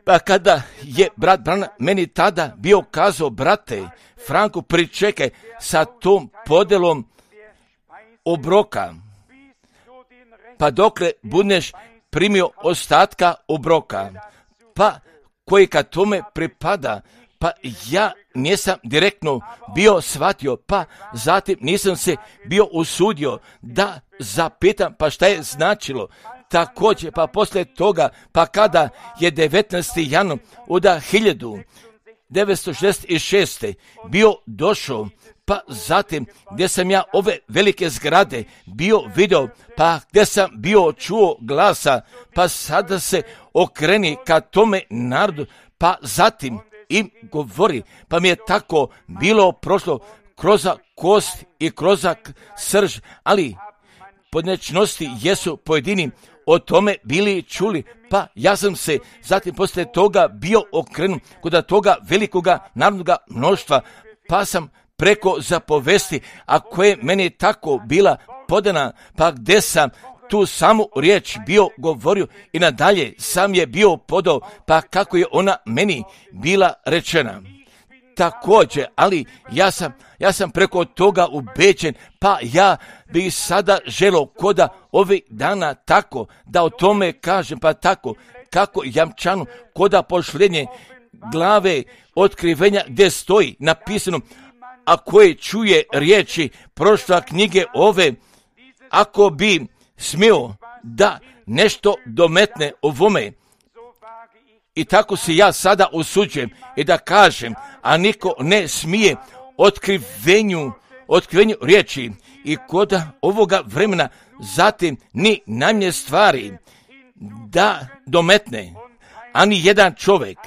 Pa kada je brat Branham meni tada bio kazao, brate Franko, pričekaj sa tom podelom obroka, pa dokle budeš primio ostatka obroka, pa koji kad tome pripada, pa ja nisam direktno bio shvatio, pa zatim nisam se bio usudio da zapitam, pa šta je značilo. Također, pa poslije toga, pa kada je devetnaesti januar od hiljadu devetsto šezdeset šeste bio došao, pa zatim gdje sam ja ove velike zgrade bio video, pa gdje sam bio čuo glasa, pa sada se okreni ka tome narodu, pa zatim im govori, pa mi je tako bilo prošlo kroz kost i kroz srž, ali podnečnosti jesu pojedini o tome bili čuli, pa ja sam se zatim poslije toga bio okrenut kod toga velikoga narodnoga mnoštva, pa sam preko zapovesti, a koje meni tako bila podana, pa gdje sam tu samu riječ bio govorio i nadalje sam je bio podao, pa kako je ona meni bila rečena. Također, ali ja sam, ja sam preko toga ubeđen, pa ja bih sada želio koda ovih dana tako da o tome kažem, pa tako kako jamčano koda pošljenje glave otkrivenja gdje stoji napisano, a koje čuje riječi prošla knjige ove, ako bi smio da nešto dometne ovome. I tako se ja sada usuđujem i da kažem, a niko ne smije otkrivenju, otkrivenju riječi i kod ovoga vremena zatim ni najmanje stvari da dometne, ani jedan čovjek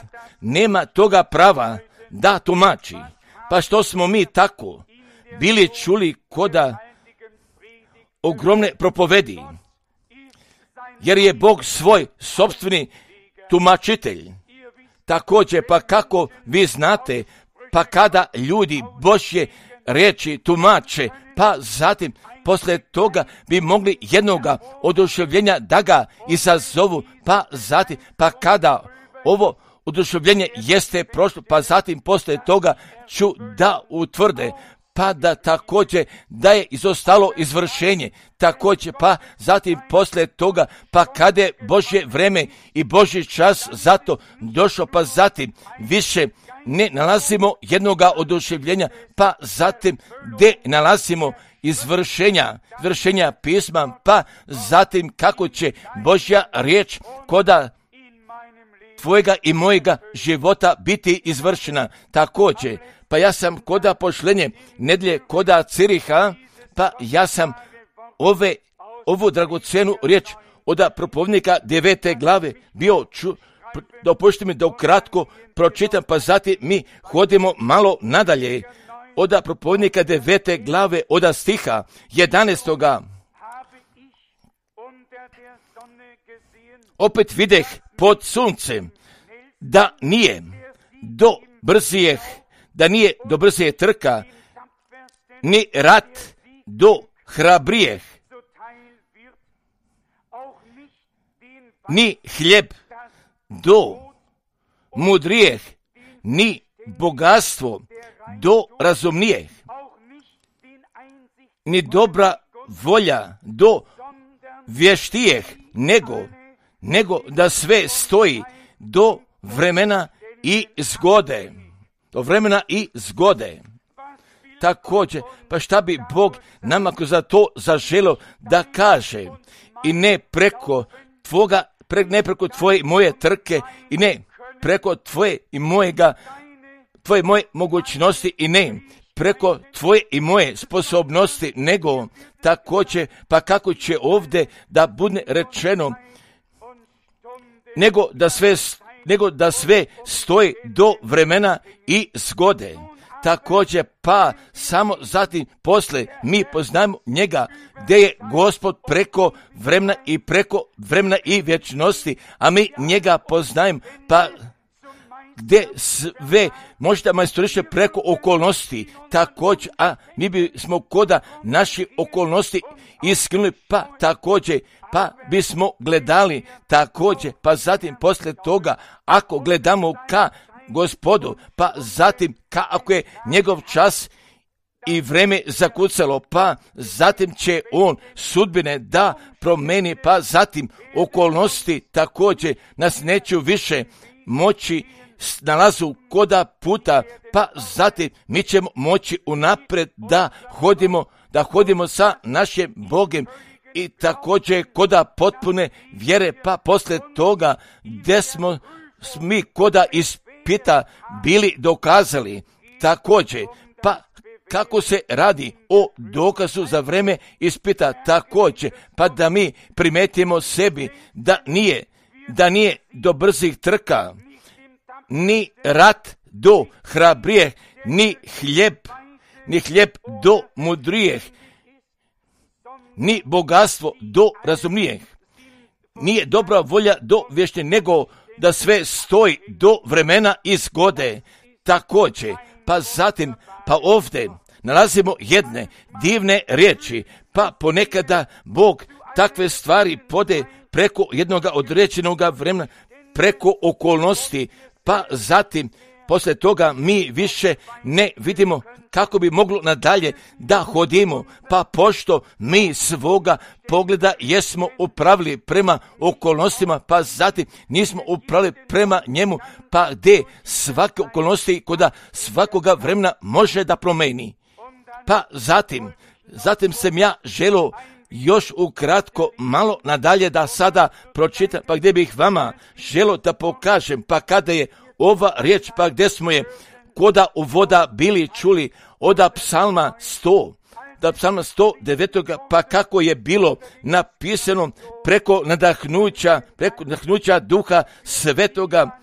nema toga prava da tumači. Pa što smo mi tako bili čuli koda ogromne propovedi, jer je Bog svoj sopstveni tumačitelj. Također, pa kako vi znate, pa kada ljudi Božje riječi tumače, pa zatim posle toga bi mogli jednoga oduševljenja da ga izazovu, pa zatim, pa kada ovo oduševljenje jeste prošlo, pa zatim posle toga ću da utvrde, pa da također da je izostalo izvršenje, također pa zatim posle toga, pa kada je Božje vreme i Božji čas zato došao, pa zatim više ne nalazimo jednoga oduševljenja, pa zatim gdje nalazimo izvršenja, izvršenja pisma, pa zatim kako će Božja riječ koda tvojega i mojega života biti izvršena. Također, pa ja sam koda pošlenje nedlje koda Ciriha, pa ja sam ove, ovu dragocenu riječ od propovjednika devete glave bio ču, dopušti mi da ukratko pročitam, pa zatim mi hodimo malo nadalje. Od propovjednika devete glave od stiha jedanaestoga. Opet videh pod suncem da nije do brzijeh, da nije do brzije trka, ni rat do hrabrijeh, ni hljeb do mudrijeh, ni bogatstvo do razumnijeh, ni dobra volja do vještijeh, nego, nego da sve stoji do vremena i zgode. Do vremena i zgode. Također, pa šta bi Bog nama za to zaželio da kaže, i ne preko tvoga, pre, ne preko tvoje i moje trke, i ne preko tvoje i mojega, tvoje moje mogućnosti, i ne preko tvoje i moje sposobnosti, nego također, pa kako će ovdje da bude rečeno, nego da sve nego da sve stoji do vremena i zgode. Također, pa samo zatim posle mi poznajemo njega, gdje je Gospod preko vremena i preko vremena i vječnosti, a mi njega poznajemo, pa gdje sve možda majstoriše preko okolnosti, također, a mi bismo koda naši okolnosti iskinuli, pa također, pa bismo gledali također, pa zatim posle toga, ako gledamo ka Gospodu, pa zatim ka ako je njegov čas i vreme zakucalo, pa zatim će on sudbine da promeni, pa zatim okolnosti također nas neće više moći nalazu koda puta, pa zatim mi ćemo moći unapred da hodimo, da hodimo sa našim Bogom i također koda potpune vjere, pa posle toga gdje smo mi koda ispita bili dokazali, također, pa kako se radi o dokazu za vreme ispita, također, pa da mi primetimo sebi da nije, da nije do brzih trka, ni rat do hrabrijeh, ni hljeb, ni hljeb do mudrijeh, ni bogatstvo do razumnijeh, nije dobra volja do vješte, nego da sve stoji do vremena i zgode. Također, pa zatim, pa ovdje nalazimo jedne divne riječi, pa ponekada Bog takve stvari pode preko jednoga određenog vremena, preko okolnosti, pa zatim posle toga mi više ne vidimo kako bi moglo nadalje da hodimo, pa pošto mi svoga pogleda jesmo upravili prema okolnostima, pa zatim nismo upravili prema njemu, pa gdje svake okolnosti koda svakoga vremena može da promeni. Pa zatim, zatim sam ja želio još ukratko malo nadalje da sada pročitam, pa gdje bih vama želio da pokažem, pa kada je ova riječ, pa gdje smo je koda uvoda bili čuli od psalma sto, da psalma sto devet, pa kako je bilo napisano preko nadahnuća, preko nadahnuća duha svetoga,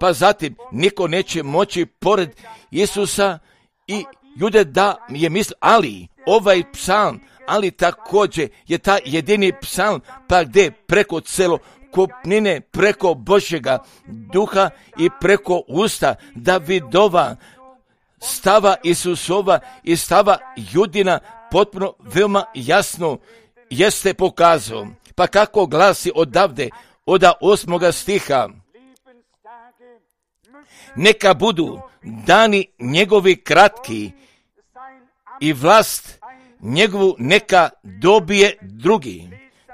pa zatim niko neće moći pored Isusa i ljude da je misli, ali ovaj psalm, ali također je ta jedini psalm, pa gdje preko celo kopnine, preko Božjega duha i preko usta Davidova, stava Isusova i stava Judina, potpuno, veoma jasno jeste pokazao. Pa kako glasi odavde, od osmoga stiha, neka budu dani njegovi kratki i vlast njegovu neka dobije drugi.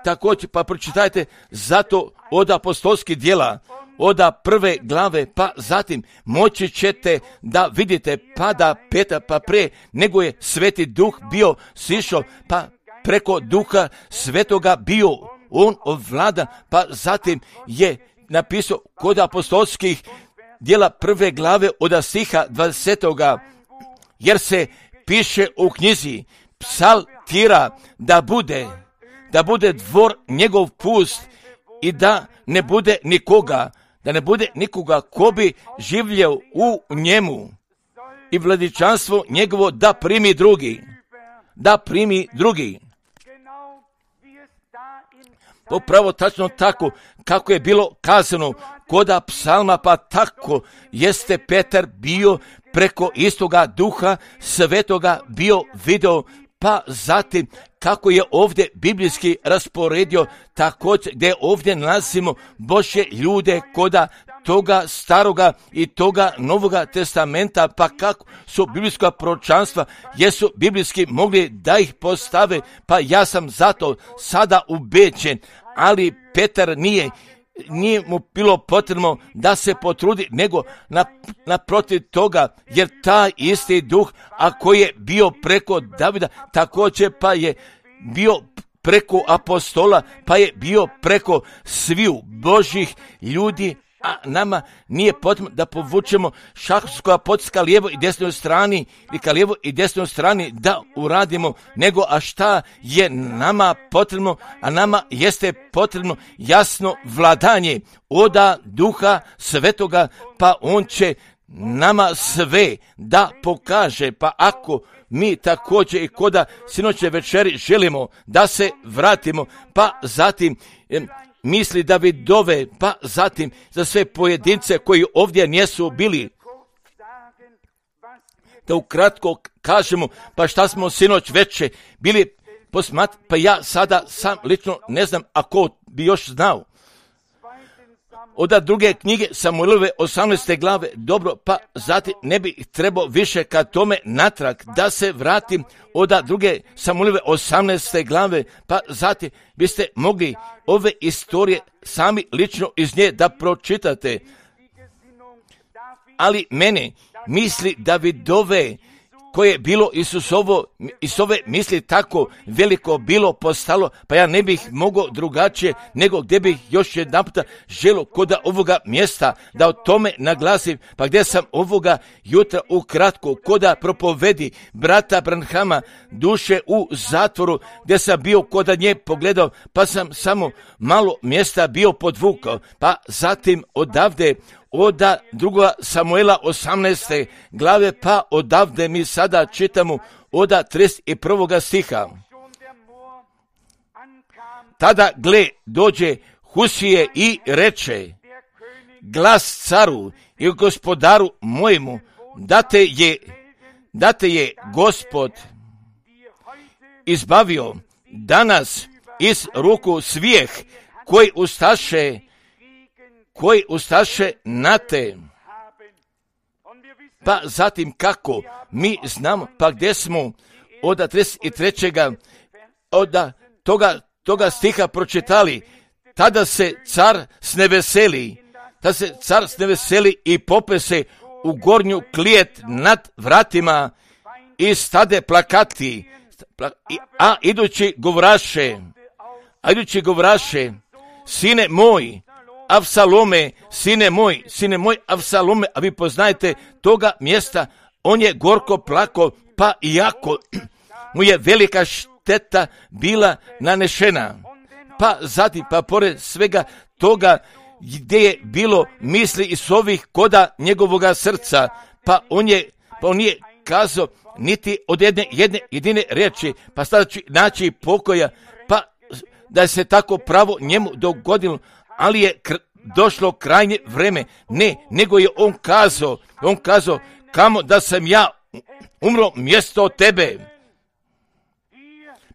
Također, pa pročitajte zato od apostolskih djela, od prve glave, pa zatim moći ćete da vidite, pa da peta, pa pre nego je Sveti Duh bio sišao, pa preko Duha Svetoga bio on ovlada, pa zatim je napisao kod apostolskih djela prve glave od stiha dvadesetoga, jer se piše u knjizi psaltira da bude, da bude dvor njegov pust i da ne bude nikoga, da ne bude nikoga ko bi življeo u njemu i vladičanstvo njegovo da primi drugi, da primi drugi. Popravo tačno tako kako je bilo kazano koda psalma, pa tako jeste Petar bio preko istoga Duha Svetoga bio video, pa zatim kako je ovdje biblijski rasporedio, također gdje ovdje nalazimo Božje ljude koda toga staroga i toga novoga testamenta, pa kako su biblijska proročanstva, jesu biblijski mogli da ih postave, pa ja sam zato sada ubeđen, ali Petar nije, nije mu bilo potrebno da se potrudi, nego naprotiv toga, jer taj isti Duh, a koji je bio preko Davida, također pa je bio preko apostola, pa je bio preko sviju Božjih ljudi, a nama nije potrebno da povučemo šahovskoga potiska lijevo i desnoj strani, ili ka lijevo i desnoj strani da uradimo, nego a šta je nama potrebno, a nama jeste potrebno jasno vladanje oda Duha Svetoga, pa on će nama sve da pokaže, pa ako mi također i koda sinoćne večeri želimo da se vratimo, pa zatim misli Davidove, pa zatim za sve pojedince koji ovdje nisu bili, da ukratko kažemo, pa šta smo sinoć veče bili posmat, pa ja sada sam lično ne znam ako bi još znao. Od druge knjige Samuelove osamnaeste glave, dobro, pa zatim ne bi trebao više ka tome natrag da se vratim od druge Samuelove osamnaeste glave, pa zatim biste mogli ove istorije sami lično iz nje da pročitate. Ali mene misli Davidove, koje je bilo Isusovo, Isove misli tako veliko bilo postalo, pa ja ne bih mogao drugačije, nego gdje bih još jedan puta želio kod ovoga mjesta da o tome naglasim, pa gdje sam ovoga jutra ukratko koda propovedi brata Branhama duše u zatvoru, gdje sam bio koda nje pogledao, pa sam samo malo mjesta bio podvukao, pa zatim odavde od druga Samuela osamnaeste glave, pa odavde mi sada čitamo od trideset prvog stiha. Tada gle dođe Husije i reče, glas caru i gospodaru mojemu, da te je, da te je Gospod izbavio danas iz ruku svijeh koji ustaše koji ustaše na te. Pa zatim kako mi znamo, pa gdje smo od trideset trećeg od toga, toga stiha pročitali, tada se car sneveseli, tada se car sneveseli i pope se u gornju klijet nad vratima i stade plakati, a idući govraše, a idući govraše, sine moj, Avsalome, sine moj, sine moj Avsalome, a vi poznajete toga mjesta, on je gorko plako, pa iako mu je velika šteta bila nanešena. Pa zatim, pa pored svega toga gdje je bilo misli iz ovih koda njegovoga srca, pa on je, pa on nije kazao niti od jedne, jedne jedine riječi, pa sada ću naći pokoja, pa da se tako pravo njemu dogodilo, ali je kr- došlo krajnje vreme. Ne, nego je on kazao, on kazao, kamo da sam ja umro mjesto tebe.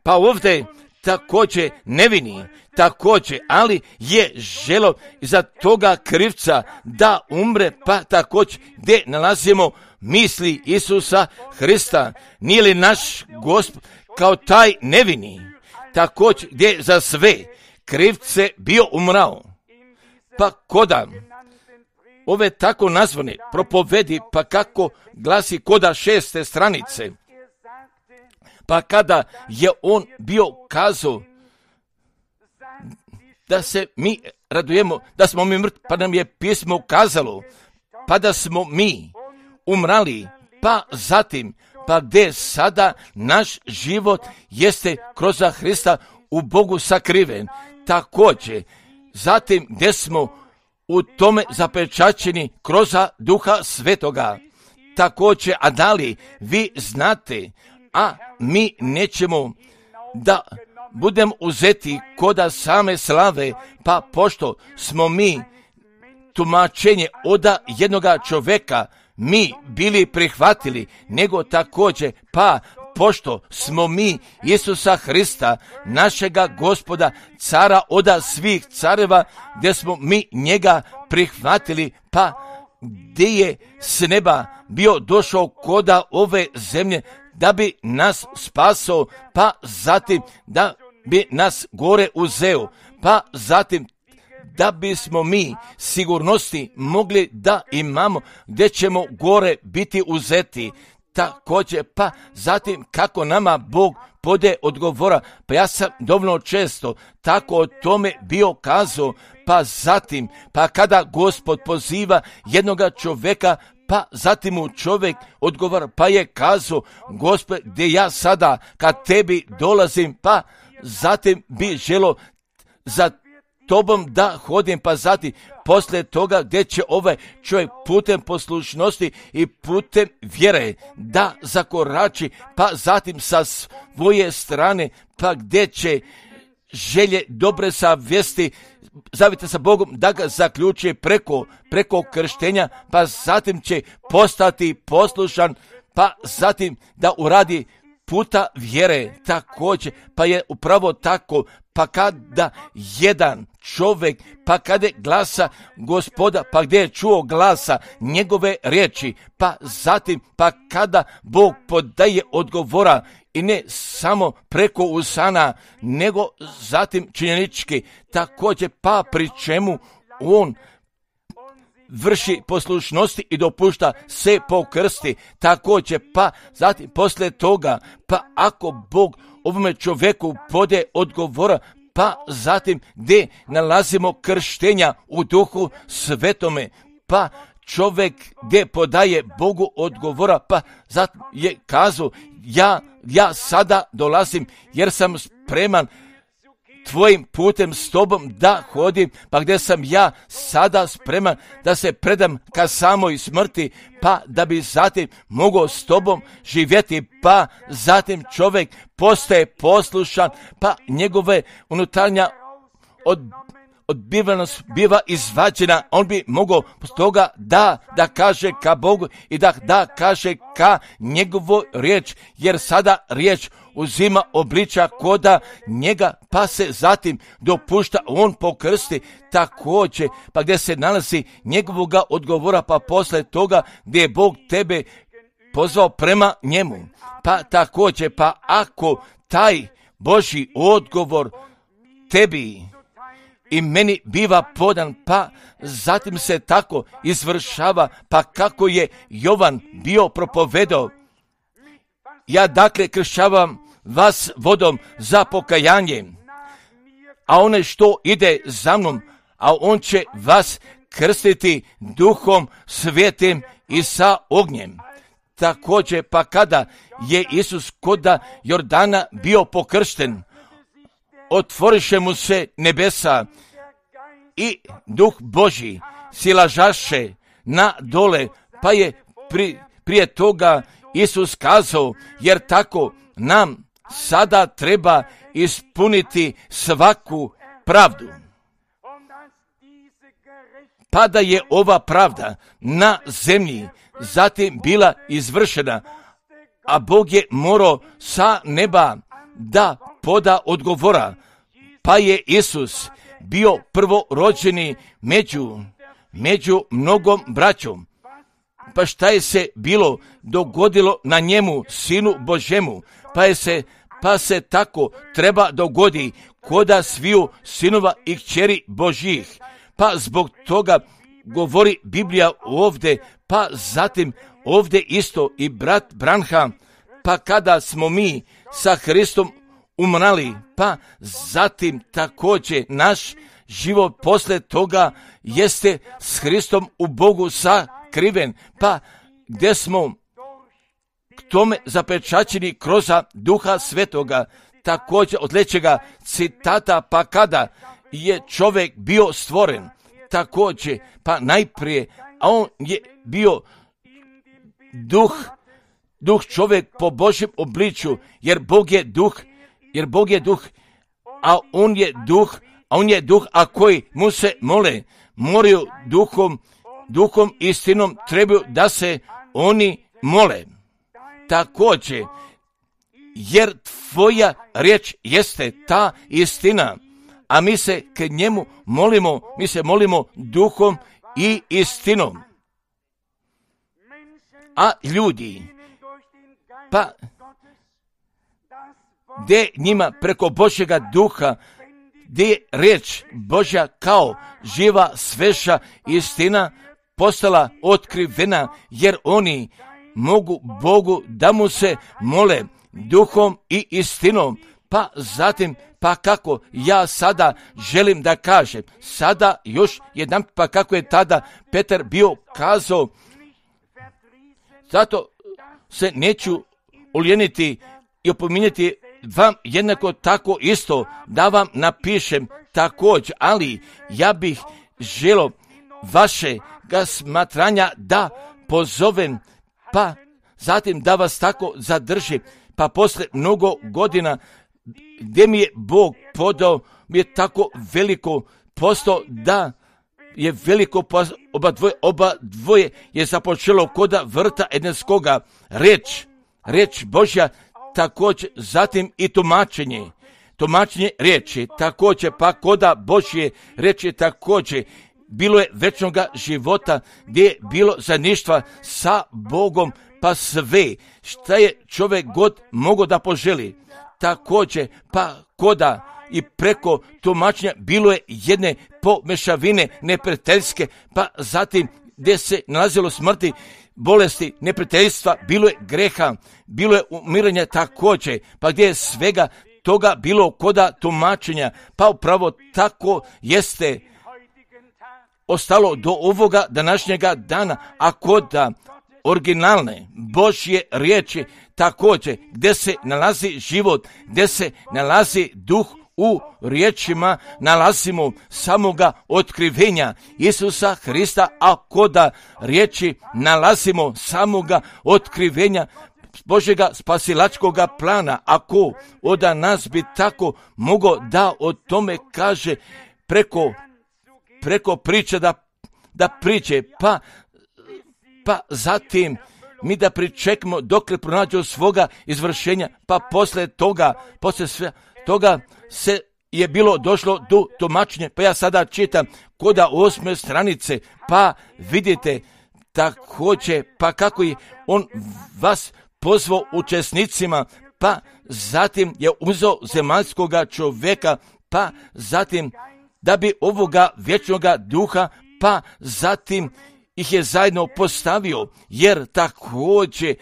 Pa ovdje također nevini, također, ali je želo za toga krivca da umre, pa također gdje nalazimo misli Isusa Hrista. Nije li naš Gospod kao taj nevini, također gdje za sve krivce bio umrao? Pa koda ove tako nazvane propovedi, pa kako glasi koda šeste stranice, pa kada je on bio kazao da se mi radujemo, da smo mi mrtvi, pa nam je pismo kazalo, pa da smo mi umrali, pa zatim, pa gdje sada naš život jeste kroz Hrista u Bogu sakriven, također, zatim gdje smo u tome zapečaćeni kroz Duha Svetoga, također, a da li vi znate, a mi nećemo da budem uzeti koda same slave, pa pošto smo mi tumačenje od jednoga čovjeka mi bili prihvatili, nego također, pa pošto smo mi Isusa Hrista, našega Gospoda, cara od svih careva, gdje smo mi njega prihvatili, pa gdje je s neba bio došao koda ove zemlje, da bi nas spasao, pa zatim da bi nas gore uzeo, pa zatim da bismo mi sigurnosti mogli da imamo gdje ćemo gore biti uzeti. Također, pa zatim kako nama Bog pode odgovora, pa ja sam dovoljno često tako o tome bio kazao, pa zatim, pa kada Gospod poziva jednoga čovjeka, pa zatim mu čovjek odgovara, pa je kazao, Gospod, gdje ja sada kad tebi dolazim, pa zatim bi želo za tobom da hodim, pa zatim poslije toga gdje će ovaj čovjek putem poslušnosti i putem vjere da zakorači, pa zatim sa svoje strane, pa gdje će želje dobre savjesti zavite sa Bogom da ga zaključi preko, preko krštenja, pa zatim će postati poslušan, pa zatim da uradi puta vjere također, pa je upravo tako, pa kada jedan čovjek, pa kada glasa Gospoda, pa gdje je čuo glasa njegove riječi, pa zatim, pa kada Bog podaje odgovora, i ne samo preko usana, nego zatim činjenički, također, pa pri čemu on vrši poslušnosti i dopušta se pokrsti, također, pa zatim poslije toga, pa ako Bog ovome čovjeku pode odgovora, pa zatim gdje nalazimo krštenja u Duhu Svetome, pa čovjek gdje podaje Bogu odgovora, pa zatim je kazao, ja, ja sada dolazim jer sam spreman tvojim putem s tobom da hodim, pa gdje sam ja sada spreman da se predam ka samoj smrti, pa da bi zatim mogao s tobom živjeti, pa zatim čovjek postaje poslušan, pa njegove unutarnja od odbivenost biva izvađena, on bi mogao toga da, da kaže ka Bogu i da, da kaže ka njegovu riječ, jer sada riječ uzima obliča koda njega, pa se zatim dopušta on pokrsti također, pa gdje se nalazi njegovoga odgovora, pa posle toga gdje je Bog tebe pozvao prema njemu, pa također, pa ako taj Božji odgovor tebi i meni biva podan, pa zatim se tako izvršava, pa kako je Jovan bio propovedao, ja dakle kršćavam vas vodom za pokajanje, a one što ide za mnom, a on će vas krstiti Duhom Svetim i sa ognjem. Također, pa kada je Isus koda Jordana bio pokršten, otvoriše mu se nebesa i Duh Božji silažaše na dole, pa je pri, prije toga Isus kazao, jer tako nam sada treba ispuniti svaku pravdu. Pa da je ova pravda na zemlji zatim bila izvršena, a Bog je morao sa neba da poda odgovora, pa je Isus bio prvorođeni među, među mnogom braćom. Pa šta je se bilo dogodilo na njemu, Sinu Božemu, pa je se, pa se tako treba dogodi koda sviju sinova i kćeri Božjih. Pa zbog toga govori Biblija ovdje, pa zatim ovdje isto i brat Branham, pa kada smo mi sa Hristom umrali, pa zatim također naš život posle toga jeste s Hristom u Bogu sakriven, pa gdje smo k tome zapečaćeni kroz Duha Svetoga. Također od sljedećega citata, pa kada je čovjek bio stvoren, također, pa najprije, a on je bio duh, duh čovjek po Božjem obličju, jer Bog je duh, jer Bog je duh, a on je duh, a on je duh, a koji mu se mole, moraju duhom, duhom istinom trebaju da se oni mole. Također, jer tvoja riječ jeste ta istina, a mi se k njemu molimo, mi se molimo duhom i istinom. A ljudi, pa gdje njima preko Božjega duha, gdje je riječ Božja kao živa sveža istina postala otkrivena, jer oni mogu Bogu da mu se mole duhom i istinom. Pa zatim, pa kako ja sada želim da kažem, sada još jedan, pa kako je tada Petar bio kazao, zato se neću ulijeniti i opominjati vam jednako tako isto da vam napišem također, ali ja bih želio vaše ga smatranja da pozovem, pa zatim da vas tako zadrži, pa posle mnogo godina gdje mi je Bog podao, mi je tako veliko posto da je veliko oba dvoje, oba dvoje je započelo koda vrta Edenskoga, reč, reč Božja, također zatim i tumačenje, tumačenje riječi, također pa koda Božje riječi također, bilo je večnoga života gdje je bilo zajedništva sa Bogom, pa sve šta je čovjek god mogao da poželi. Također pa koda i preko tumačenja bilo je jedne pomešavine neprijateljske, pa zatim gdje se nalazilo smrti, bolesti, neprijateljstva, bilo je greha, bilo je umiranja također, pa gdje je svega toga bilo koda tumačenja, pa upravo tako jeste ostalo do ovoga današnjega dana, a koda originalne Božje riječi također, gdje se nalazi život, gdje se nalazi duh u riječima, nalazimo samoga otkrivenja Isusa Hrista, a koda riječi nalazimo samoga otkrivenja Božjega spasilačkoga plana. Ako od nas bi tako mogao da o tome kaže preko, preko priče da, da priče, pa pa zatim mi da pričekamo dok ne pronađu svoga izvršenja, pa posle toga, posle sve toga se je bilo došlo do tumačenja, pa ja sada čitam koda osme stranice, pa vidite također, pa kako je on vas pozvao učesnicima, pa zatim je uzeo zemaljskoga čovjeka, pa zatim da bi ovoga vječnoga duha, pa zatim ih je zajedno postavio, jer također,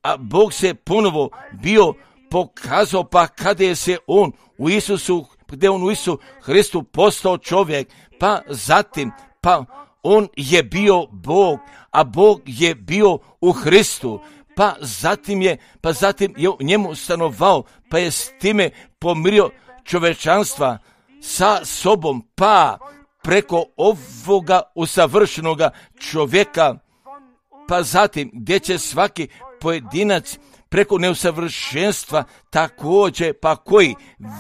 a Bog se ponovo bio pokazao, pa kada je se on u Isusu, gdje on u Isusu Hristu postao čovjek, pa zatim, pa on je bio Bog, a Bog je bio u Hristu, pa zatim je, pa zatim je u njemu stanovao, pa je s time pomirio čovečanstva sa sobom, pa preko ovoga usavršenoga čovjeka, pa zatim gdje će svaki pojedinac preko neusavršenstva također, pa koji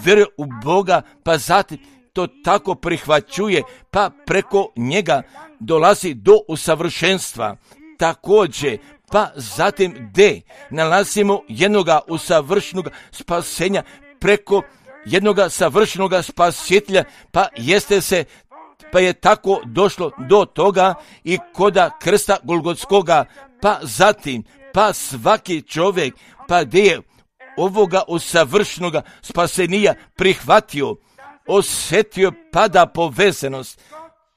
vjeruje u Boga, pa zatim to tako prihvaćuje, pa preko njega dolazi do usavršenstva. Također, pa zatim gdje nalazimo jednoga usavršenog spasenja, preko jednoga savršenoga spasitelja, pa jeste se, pa je tako došlo do toga i koda krsta Golgotskoga, pa zatim, pa svaki čovjek, pa gdje je ovoga usavršenoga spasenija prihvatio, osjetio, pada povezanost,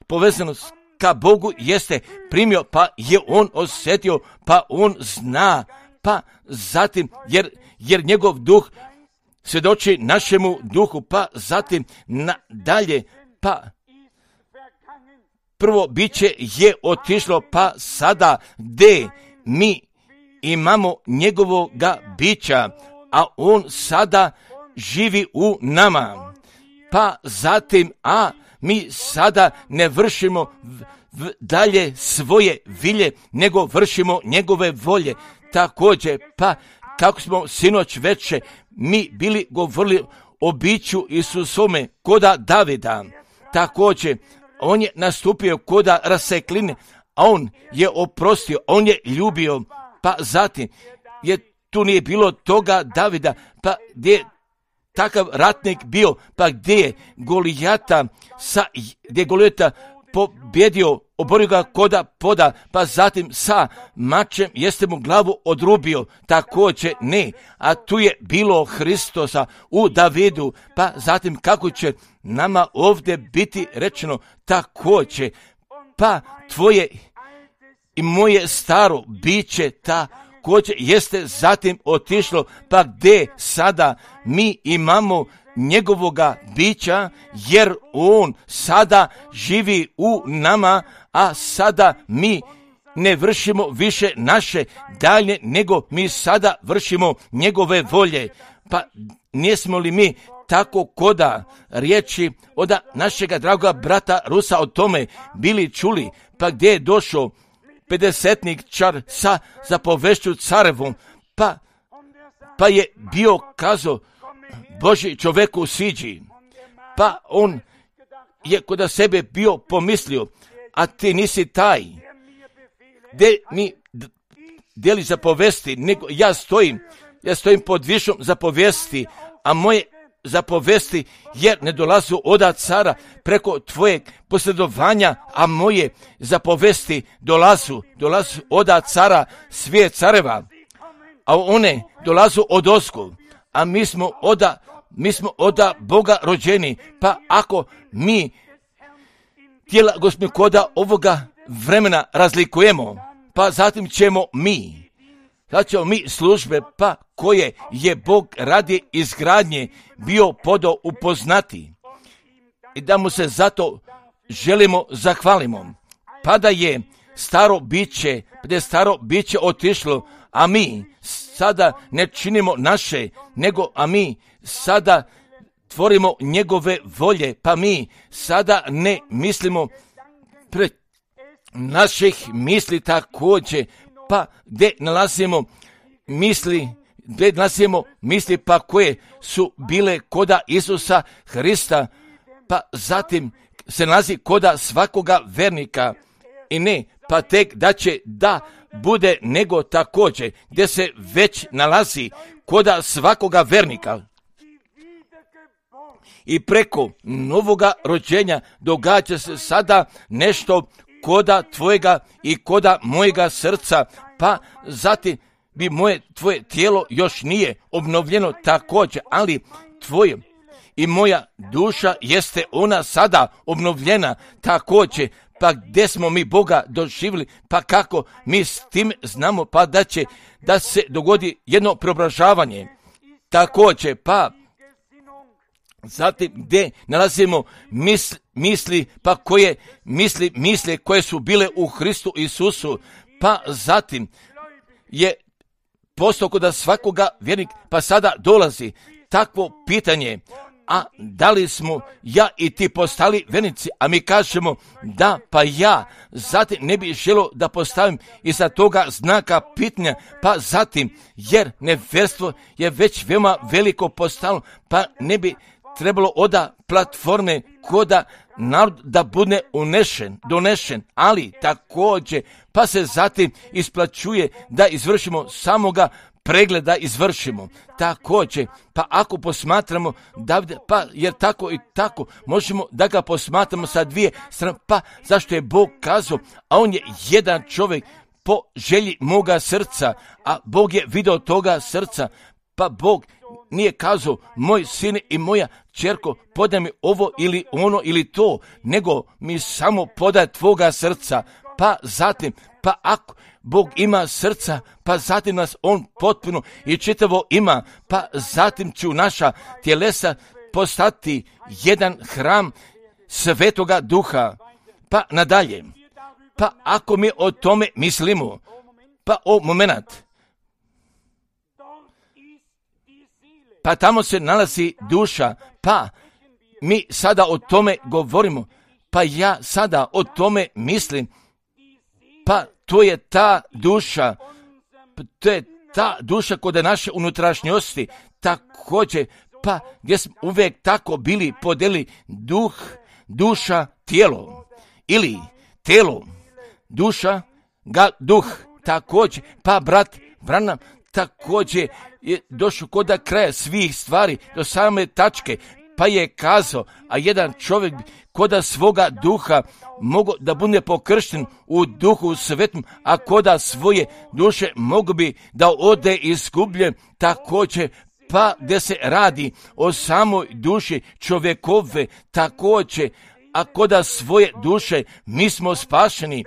povezanost ka Bogu jeste primio, pa je on osjetio, pa on zna, pa zatim, jer, jer njegov duh svjedoči našemu duhu, pa zatim nadalje, pa prvo biće je otišlo, pa sada gdje mi imamo njegovoga bića, a on sada živi u nama. Pa zatim, a mi sada ne vršimo v, v, dalje svoje vilje, nego vršimo njegove volje. Također, pa kako smo sinoć veče mi bili govorili o biću Isusome koda Davida. Također, on je nastupio koda rasekline, a on je oprostio, on je ljubio, pa zatim je tu nije bilo toga Davida, pa gdje je takav ratnik bio, pa gdje je Golijata, sa, gdje je Golijata pobjedio, oborio ga koda poda, pa zatim sa mačem jeste mu glavu odrubio, također ne, a tu je bilo Hristosa u Davidu, pa zatim kako će nama ovdje biti rečeno također, pa tvoje i moje staro biće također jeste zatim otišlo, pa gdje sada mi imamo njegovoga bića, jer on sada živi u nama, a sada mi ne vršimo više naše dalje, nego mi sada vršimo njegove volje. Pa nismo li mi tako koda riječi od našega dragoga brata Rusa o tome bili čuli, pa gdje je došao pedesetnik čar sa zapovešću carevom, pa, pa je bio kazao Boži čoveku siđi, pa on je kod sebe bio pomislio, a ti nisi taj, gdje mi deli zapovesti, nego ja stojim, ja stojim pod višom zapovesti, a moje zapovesti jer ne dolazu od cara preko tvojeg posredovanja, a moje zapovesti dolazu, dolazu od cara svijet careva, a one dolazu od ozgo, a mi smo oda, mi smo oda Boga rođeni, pa ako mi tijela gospodina ovoga vremena razlikujemo, pa zatim ćemo mi, sad ćemo mi službe, pa koje je Bog radi izgradnje bio podao upoznati i da mu se zato želimo zahvalimo. Pa da je staro biće, da je staro biće otišlo, a mi sada ne činimo naše, nego a mi sada tvorimo njegove volje, pa mi sada ne mislimo pre naših misli također, pa gdje nalazimo misli, gdje nalazimo misli pa koje su bile koda Isusa Hrista, pa zatim se nalazi koda svakoga vernika i ne, pa tek da će da bude nego također gdje se već nalazi koda svakoga vernika. I preko novoga rođenja događa se sada nešto koda tvojega i koda mojega srca, pa zatim bi moje tvoje tijelo još nije obnovljeno također, ali tvoje i moja duša jeste ona sada obnovljena također. Pa gdje smo mi Boga doživjeli, pa kako mi s tim znamo, pa da će da se dogodi jedno preobražavanje također, pa zatim gdje nalazimo misli, misli pa koje misli, misle koje su bile u Hristu Isusu, pa zatim je postao kod svakoga vjernik, pa sada dolazi takvo pitanje, a da li smo ja i ti postali vjernici, a mi kažemo da, pa ja zatim ne bi želio da postavim iza toga znaka pitanja, pa zatim jer nevjerstvo je već veoma veliko postalo, pa ne bi trebalo oda platforme koda narod da bude unešen, donešen, ali također pa se zatim isplaćuje da izvršimo samoga pregleda izvršimo. Također, pa ako posmatramo Davida, pa jer tako i tako možemo da ga posmatramo sa dvije strane, pa zašto je Bog kazao, a on je jedan čovjek po želji moga srca, a Bog je video toga srca, pa Bog nije kazao, moj sin i moja ćerko, podaj mi ovo ili ono ili to, nego mi samo podaj tvoga srca, pa zatim, pa ako Bog ima srca, pa zatim nas on potpuno i čitavo ima, pa zatim ću naša tjelesa postati jedan hram Svetoga Duha, pa nadalje. Pa ako mi o tome mislimo, pa o moment, pa tamo se nalazi duša, pa mi sada o tome govorimo, pa ja sada o tome mislim, pa to je ta duša, to je ta duša kod naše unutrašnjosti, također, pa gdje smo uvijek tako bili podeli duh, duša, tijelo, ili tijelo, duša, ga, duh, također, pa brat Branham također je došao kod kraja svih stvari, do same tačke, pa je kazao, a jedan čovjek koda svoga duha mogu da bude pokršten u duhu svetom, a koda svoje duše mogu bi da ode izgubljen, također, pa gdje se radi o samoj duši čovjekove, također, a koda svoje duše mi smo spašeni.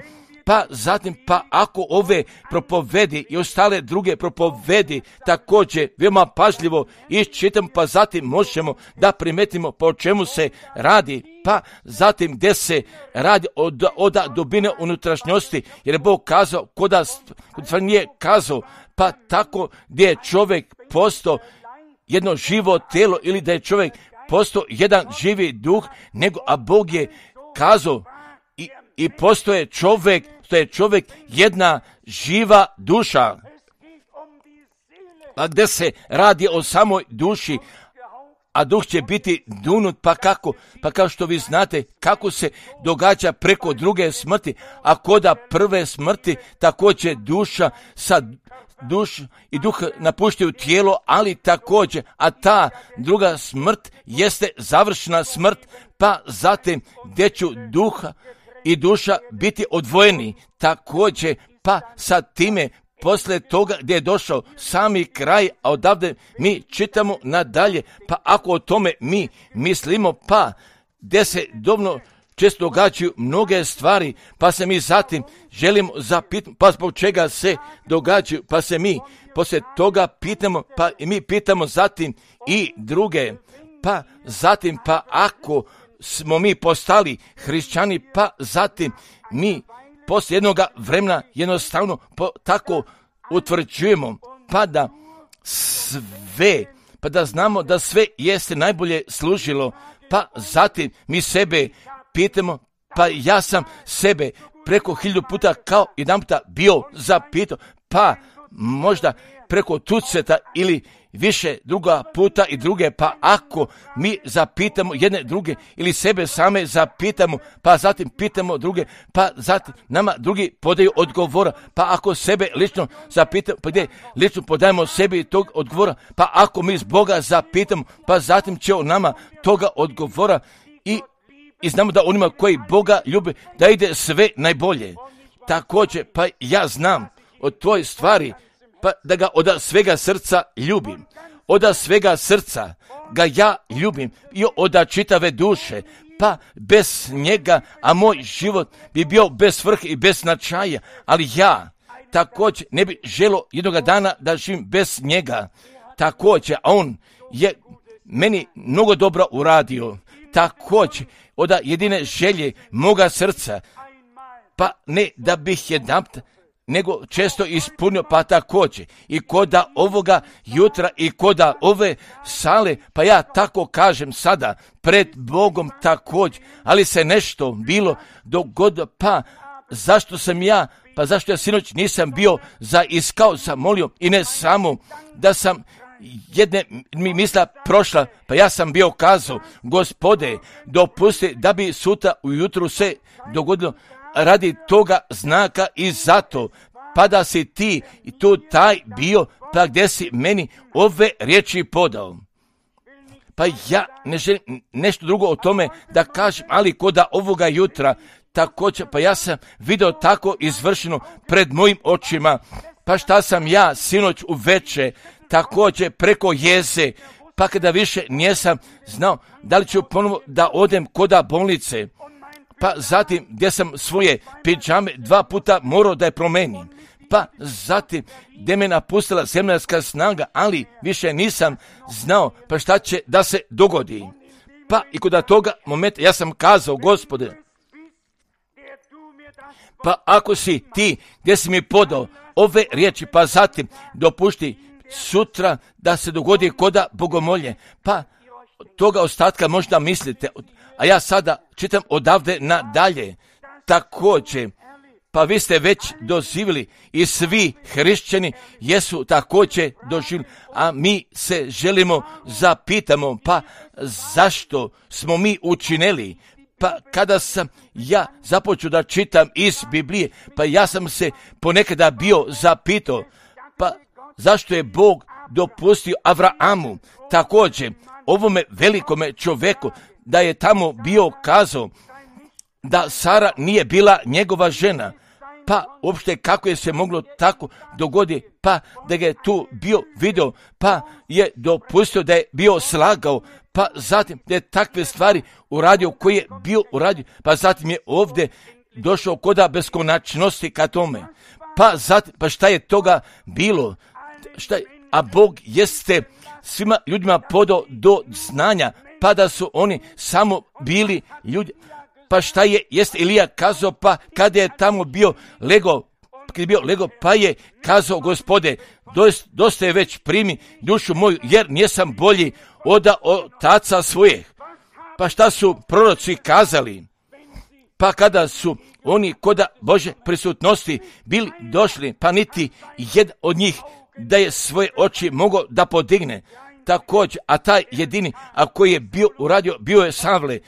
Pa zatim, pa ako ove propovedi i ostale druge propovedi također veoma pažljivo iščitam, pa zatim možemo da primetimo po čemu se radi, pa zatim gdje se radi od, od dubine unutrašnjosti, jer je Bog kazao, koda stvar nije kazao, pa tako gdje je čovjek postao jedno živo tijelo ili da je čovjek postao jedan živi duh, nego a Bog je kazao i, i postoje čovjek, to je čovjek jedna živa duša. A gdje se radi o samoj duši, a duh će biti dunut, pa kako? Pa kao što vi znate kako se događa preko druge smrti, a koda prve smrti također duša sa duš i duh napuštaju tijelo, ali također, a ta druga smrt jeste završena smrt, pa zatim gdje ću duha i duša biti odvojeni, također, pa sa time poslije toga gdje je došao sami kraj, a odavde mi čitamo nadalje, pa ako o tome mi mislimo, pa gdje se dobno često događaju mnoge stvari, pa se mi zatim želimo zapitati, pa zbog čega se događaju, pa se mi poslije toga pitamo, pa i mi pitamo zatim i druge, pa zatim, pa ako smo mi postali hrišćani, pa zatim mi poslije jednoga vremena jednostavno po, tako utvrđujemo, pa da sve, pa da znamo da sve jeste najbolje služilo, pa zatim mi sebe pitamo, pa ja sam sebe preko hiljadu puta kao jedan puta bio zapitao, pa možda preko tuceta ili više druga puta i druge, pa ako mi zapitamo jedne druge ili sebe same zapitamo, pa zatim pitamo druge, pa zatim nama drugi podaju odgovora, pa ako sebe lično zapitamo, pa gdje lično podajemo sebi tog odgovora, pa ako mi z Boga zapitamo, pa zatim će on nama toga odgovora i, i znamo da onima koji Boga ljube da ide sve najbolje. Također, pa ja znam od toj stvari, pa da ga od svega srca ljubim, od svega srca ga ja ljubim i od čitave duše, pa bez njega, a moj život bi bio bez svrhe i bez značaja, ali ja također ne bi želio jednoga dana da živim bez njega, također, a on je meni mnogo dobro uradio, također, od jedine želje moga srca, pa ne da bih jedanput nego često ispunio, pa također i koda ovoga jutra i koda ove sale, pa ja tako kažem sada pred Bogom također, ali se nešto bilo dogodilo, pa zašto sam ja, pa zašto ja sinoć nisam bio zaiskao, zamolio i ne samo da sam jedne mi misla prošla, pa ja sam bio kazao, Gospode, dopusti da bi sutra ujutru se dogodilo radi toga znaka i zato, pa da si ti i tu taj bio, pa gdje si meni ove riječi podao. Pa ja ne želim nešto drugo o tome da kažem, ali koda ovoga jutra također, pa ja sam vidio tako izvršeno pred mojim očima, pa šta sam ja sinoć uveče također preko jeze, pa kada više nisam znao da li ću ponovo da odem koda bolnice, pa zatim gdje sam svoje pidžame dva puta morao da je promenim, pa zatim gdje me napustila zemaljska snaga, ali više nisam znao pa šta će da se dogodi. Pa i kod toga momenta ja sam kazao, Gospode, pa ako si ti gdje si mi podao ove riječi, pa zatim dopušti sutra da se dogodi koda bogomolje, pa toga ostatka možda mislite, a ja sada čitam odavde nadalje. Također, pa vi ste već doživjeli i svi hrišćani jesu također doživjeli, a mi se želimo zapitamo, pa zašto smo mi učinili? Pa kada sam ja započeo da čitam iz Biblije, pa ja sam se ponekada bio zapitao, pa zašto je Bog dopustio Avraamu, također ovome velikome čovjeku, da je tamo bio kazao da Sara nije bila njegova žena, pa uopšte kako je se moglo tako dogoditi, pa da ga je tu bio video, pa je dopustio da je bio slagao, pa zatim da je takve stvari uradio koje je bio uradio, pa zatim je ovdje došao koda beskonačnosti ka tome. Pa zatim, pa šta je toga bilo? Šta je? A Bog jeste svima ljudima podao do znanja, pa da su oni samo bili ljudi. Pa šta je, jeste Ilija kazao, pa kada je tamo bio lego, kada je bio lego, pa je kazao, Gospode, dosta, dosta je već primi dušu moju, jer nisam bolji oda otaca svojih. Pa šta su proroci kazali? Pa kada su oni koda Bože prisutnosti bili došli, pa niti jedan od njih da je svoje oči mogao da podigne. Također, a taj jedini, a koji je bio uradio, bio je Savle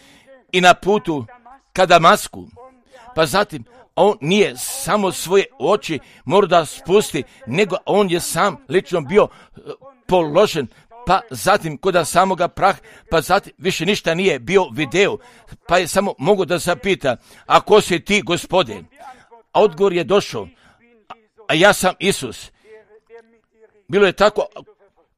i na putu ka Damasku. Pa zatim, on nije samo svoje oči morao da spusti, nego on je sam lično bio položen, pa zatim kod samoga prah, pa zatim više ništa nije bio video, pa je samo mogu da zapita, a ko si ti, Gospode? A odgovor je došao, a ja sam Isus. Bilo je tako,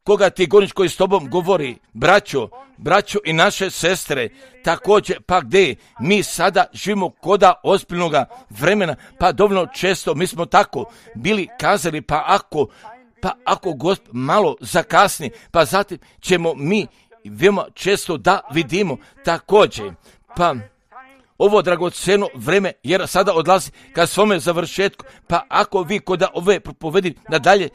koga ti gonič koji s tobom govori, braćo, braćo i naše sestre, također, pa gdje mi sada živimo koda ozbiljnoga vremena, pa dovoljno često mi smo tako bili kazali, pa ako, pa ako Gospod malo zakasni, pa zatim ćemo mi veoma često da vidimo također, pa ovo dragoceno vreme, jer sada odlazi ka svome završetku, pa ako vi koda ove propovedi nadalje,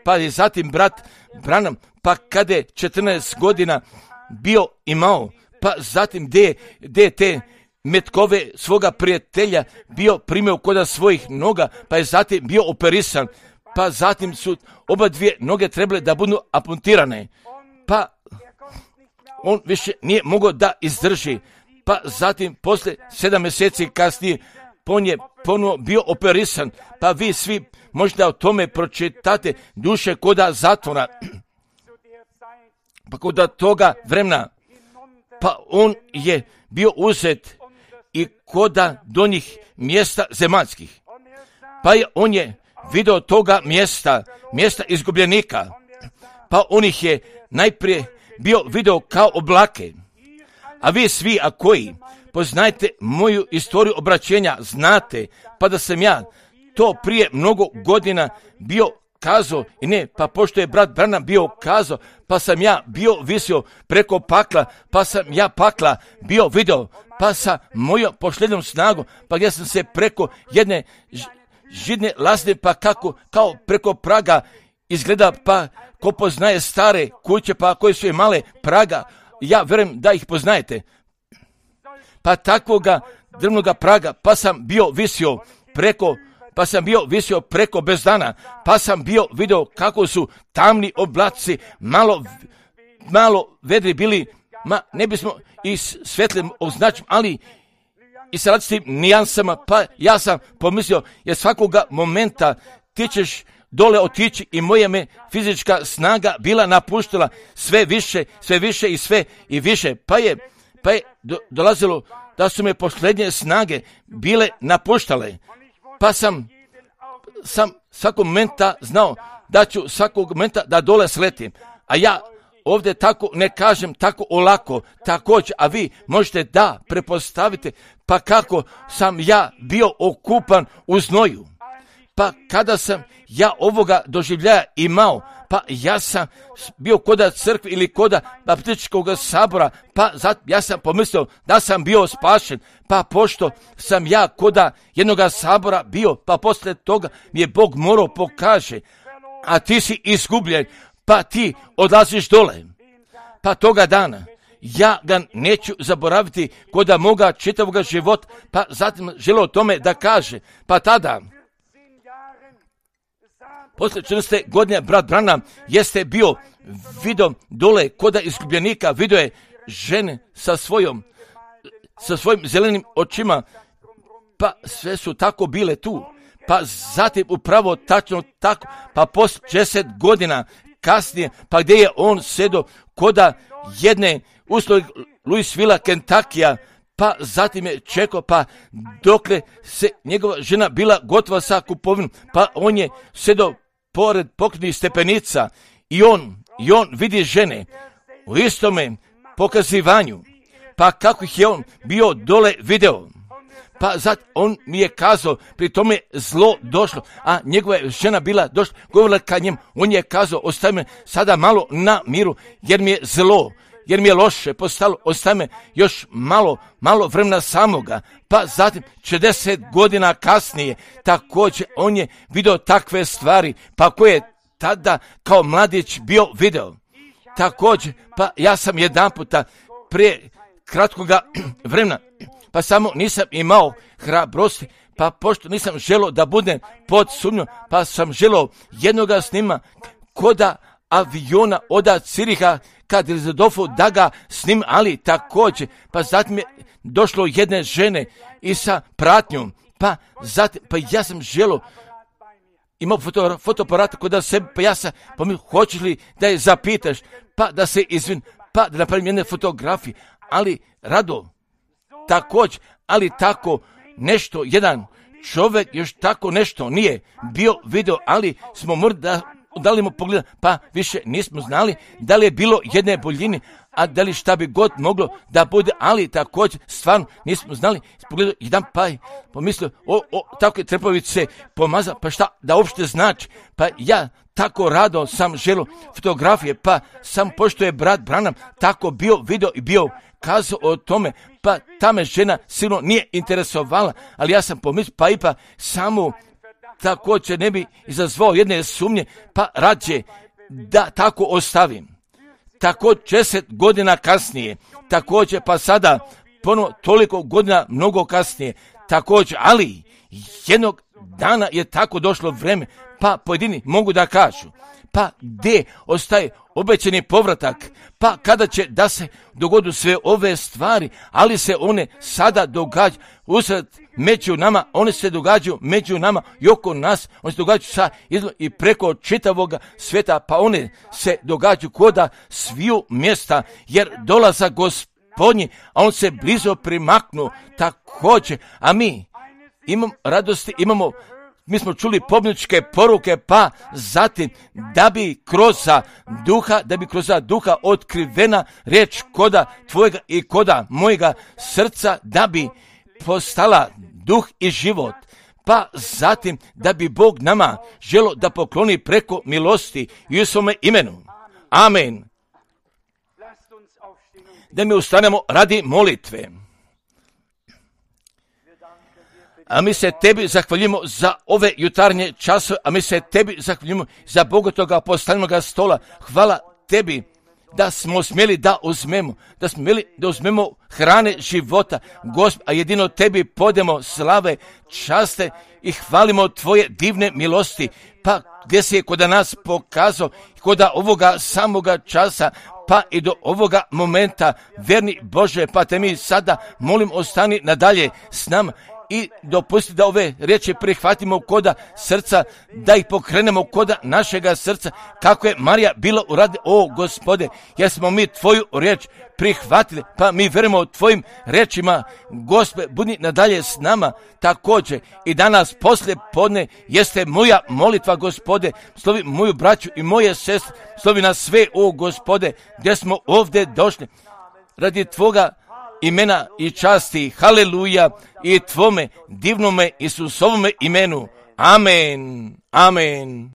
pa je zatim brat Branham, pa kada je četrnaest godina bio imao, pa zatim gdje je te metkove svoga prijatelja bio primio koda svojih noga, pa je zatim bio operisan, pa zatim su oba dvije noge trebale da budu amputirane, pa on više nije mogao da izdrži, pa zatim poslije sedam mjeseci kasnije on je ponovo bio operisan, pa vi svi možda o tome pročitate duše koda zatvora, pa koda toga vremena, pa on je bio uzet i koda do njih mjesta zemaljskih, pa je on je video toga mjesta, mjesta izgubljenika, pa on ih je najprije bio video kao oblake. A vi svi, a koji poznajte moju istoriju obraćenja, znate, pa da sam ja to prije mnogo godina bio kazao, i ne, pa pošto je brat Branham bio kazao, pa sam ja bio visio preko pakla, pa sam ja pakla bio video, pa sa mojom pošljednom snagom, pa gdje sam se preko jedne židne lasne, pa kako, kao preko praga izgleda, pa ko poznaje stare kuće, pa koje su je male praga, ja vjerujem da ih poznajete. Pa takvoga drvnoga praga, pa sam bio visio preko, pa sam bio visio preko bez dana, pa sam bio video kako su tamni oblaci, malo, malo vedri bili, ma ne bismo i svetlim označim, ali i sa različitim nijansama, pa ja sam pomislio, jer svakoga momenta ti ćeš dole otići i moja me fizička snaga bila napuštila sve više, sve više i sve i više. Pa je, pa je do, dolazilo da su me posljednje snage bile napuštale. Pa sam, sam svakog momenta znao da ću svakog momenta da dole sletim. A ja ovdje tako ne kažem tako olako, također, a vi možete da prepostavite pa kako sam ja bio okupan u znoju. Pa kada sam ja ovoga doživljaja imao, pa ja sam bio koda crkve ili koda baptističkog sabora, pa zato ja sam pomislio da sam bio spašen, pa pošto sam ja koda jednoga sabora bio, pa poslije toga mi je Bog morao pokaže, a ti si izgubljen, pa ti odlaziš dole. Pa toga dana ja ga neću zaboraviti koda moga čitavoga života, pa zatim želio o tome da kaže, pa tada poslije četrnaeste godine brat Branham jeste bio vidio dole koda izgubljenika, vidio je žene sa svojom, sa svojim zelenim očima, pa sve su tako bile tu. Pa zatim upravo tačno tako, pa poslije deset godina kasnije, pa gdje je on sedo koda jedne uslovi Louisville, Kentuckija, pa zatim je čekao, pa dokle se njegova žena bila gotova sa kupovinom, pa on je sedo pored pokretnih stepenica i on, i on vidi žene u istome pokazivanju, pa kako ih je on bio dole video. Pa zato on mi je kazao, pri tome zlo došlo, a njegova je žena bila došla, govorila ka njemu, on je kazao, ostavi me sada malo na miru, jer mi je zlo, jer mi je loše postalo, ostavi me još malo, malo vremena samoga. Pa zatim, četrdeset godina kasnije, također on je vidio takve stvari, pa koje je tada kao mladić bio video. Također, pa ja sam jedan puta prije kratkoga vremena, pa samo nisam imao hrabrosti, pa pošto nisam želio da budem pod sumnjom, pa sam želio jednoga snima koda aviona od Ciriha kad Elizadofu da ga snim, ali također, pa zatim je došlo jedne žene i sa pratnjom, pa zatim, pa ja sam želio, imao foto, fotoaparat kod sebe, pa ja sam pomislio, hoćeš li da je zapitaš, pa da se izvin, pa da napravim jedne fotografije, ali rado, također, ali tako nešto, jedan čovjek još tako nešto nije bio video, ali smo morali da dali mu pogleda, pa više nismo znali da li je bilo jedne boljine, a da li šta bi god moglo da bude, ali također stvarno nismo znali. Pogledao jedan pa je pomislio, o, o, tako je trepavice pomaza, pa šta da uopšte znači, pa ja tako rado sam želio fotografije, pa sam pošto je brat Branham tako bio video i bio kazao o tome, pa ta me žena sigurno nije interesovala, ali ja sam pomislio, pa i pa samo također ne bi izazvao jedne sumnje, pa rađe da tako ostavim. Tako deset godina kasnije, također pa sada ponovo toliko godina mnogo kasnije, također, ali jednog dana je tako došlo vreme, pa pojedini mogu da kažu, pa gdje ostaje obećani povratak, pa kada će da se dogodu sve ove stvari, ali se one sada događaju usred među nama, one se događaju među nama i oko nas, one se događaju sa i preko čitavoga svijeta, pa one se događaju koda sviju mjesta, jer dolaza Gospodnji, a on se blizo primaknu također, a mi imamo radosti, imamo mi smo čuli pobjedničke poruke, pa zatim da bi kroz duha, da bi kroz duha otkrivena riječ koda tvojega i koda mojega srca, da bi postala duh i život. Pa zatim da bi Bog nama želo da pokloni preko milosti i u svome imenu. Amen. Da mi ustanemo radi molitve. A mi se tebi zahvaljujemo za ove jutarnje časove, a mi se tebi zahvaljujemo za bogatoga postavljenoga stola. Hvala tebi da smo smjeli da uzmemo, da smo smjeli da uzmemo hrane života, Gospod, a jedino tebi podemo slave, časte i hvalimo tvoje divne milosti, pa gdje si je kod nas pokazao, kod ovoga samoga časa, pa i do ovoga momenta, verni Bože, pa te mi sada molim ostani nadalje s nama i dopusti da ove riječi prihvatimo koda srca, da ih pokrenemo koda našega srca, kako je Marija bila uradi. O Gospode, jer smo mi tvoju riječ prihvatili, pa mi vjerujemo tvojim riječima. Gospode, budi nadalje s nama također i danas poslije podne jeste moja molitva, Gospode, slovi moju braću i moje sestre, slovi nas sve, o Gospode, gdje smo ovdje došli radi tvoga imena i časti. Haleluja, i tvome divnome Isusovome imenu. Amen. Amen.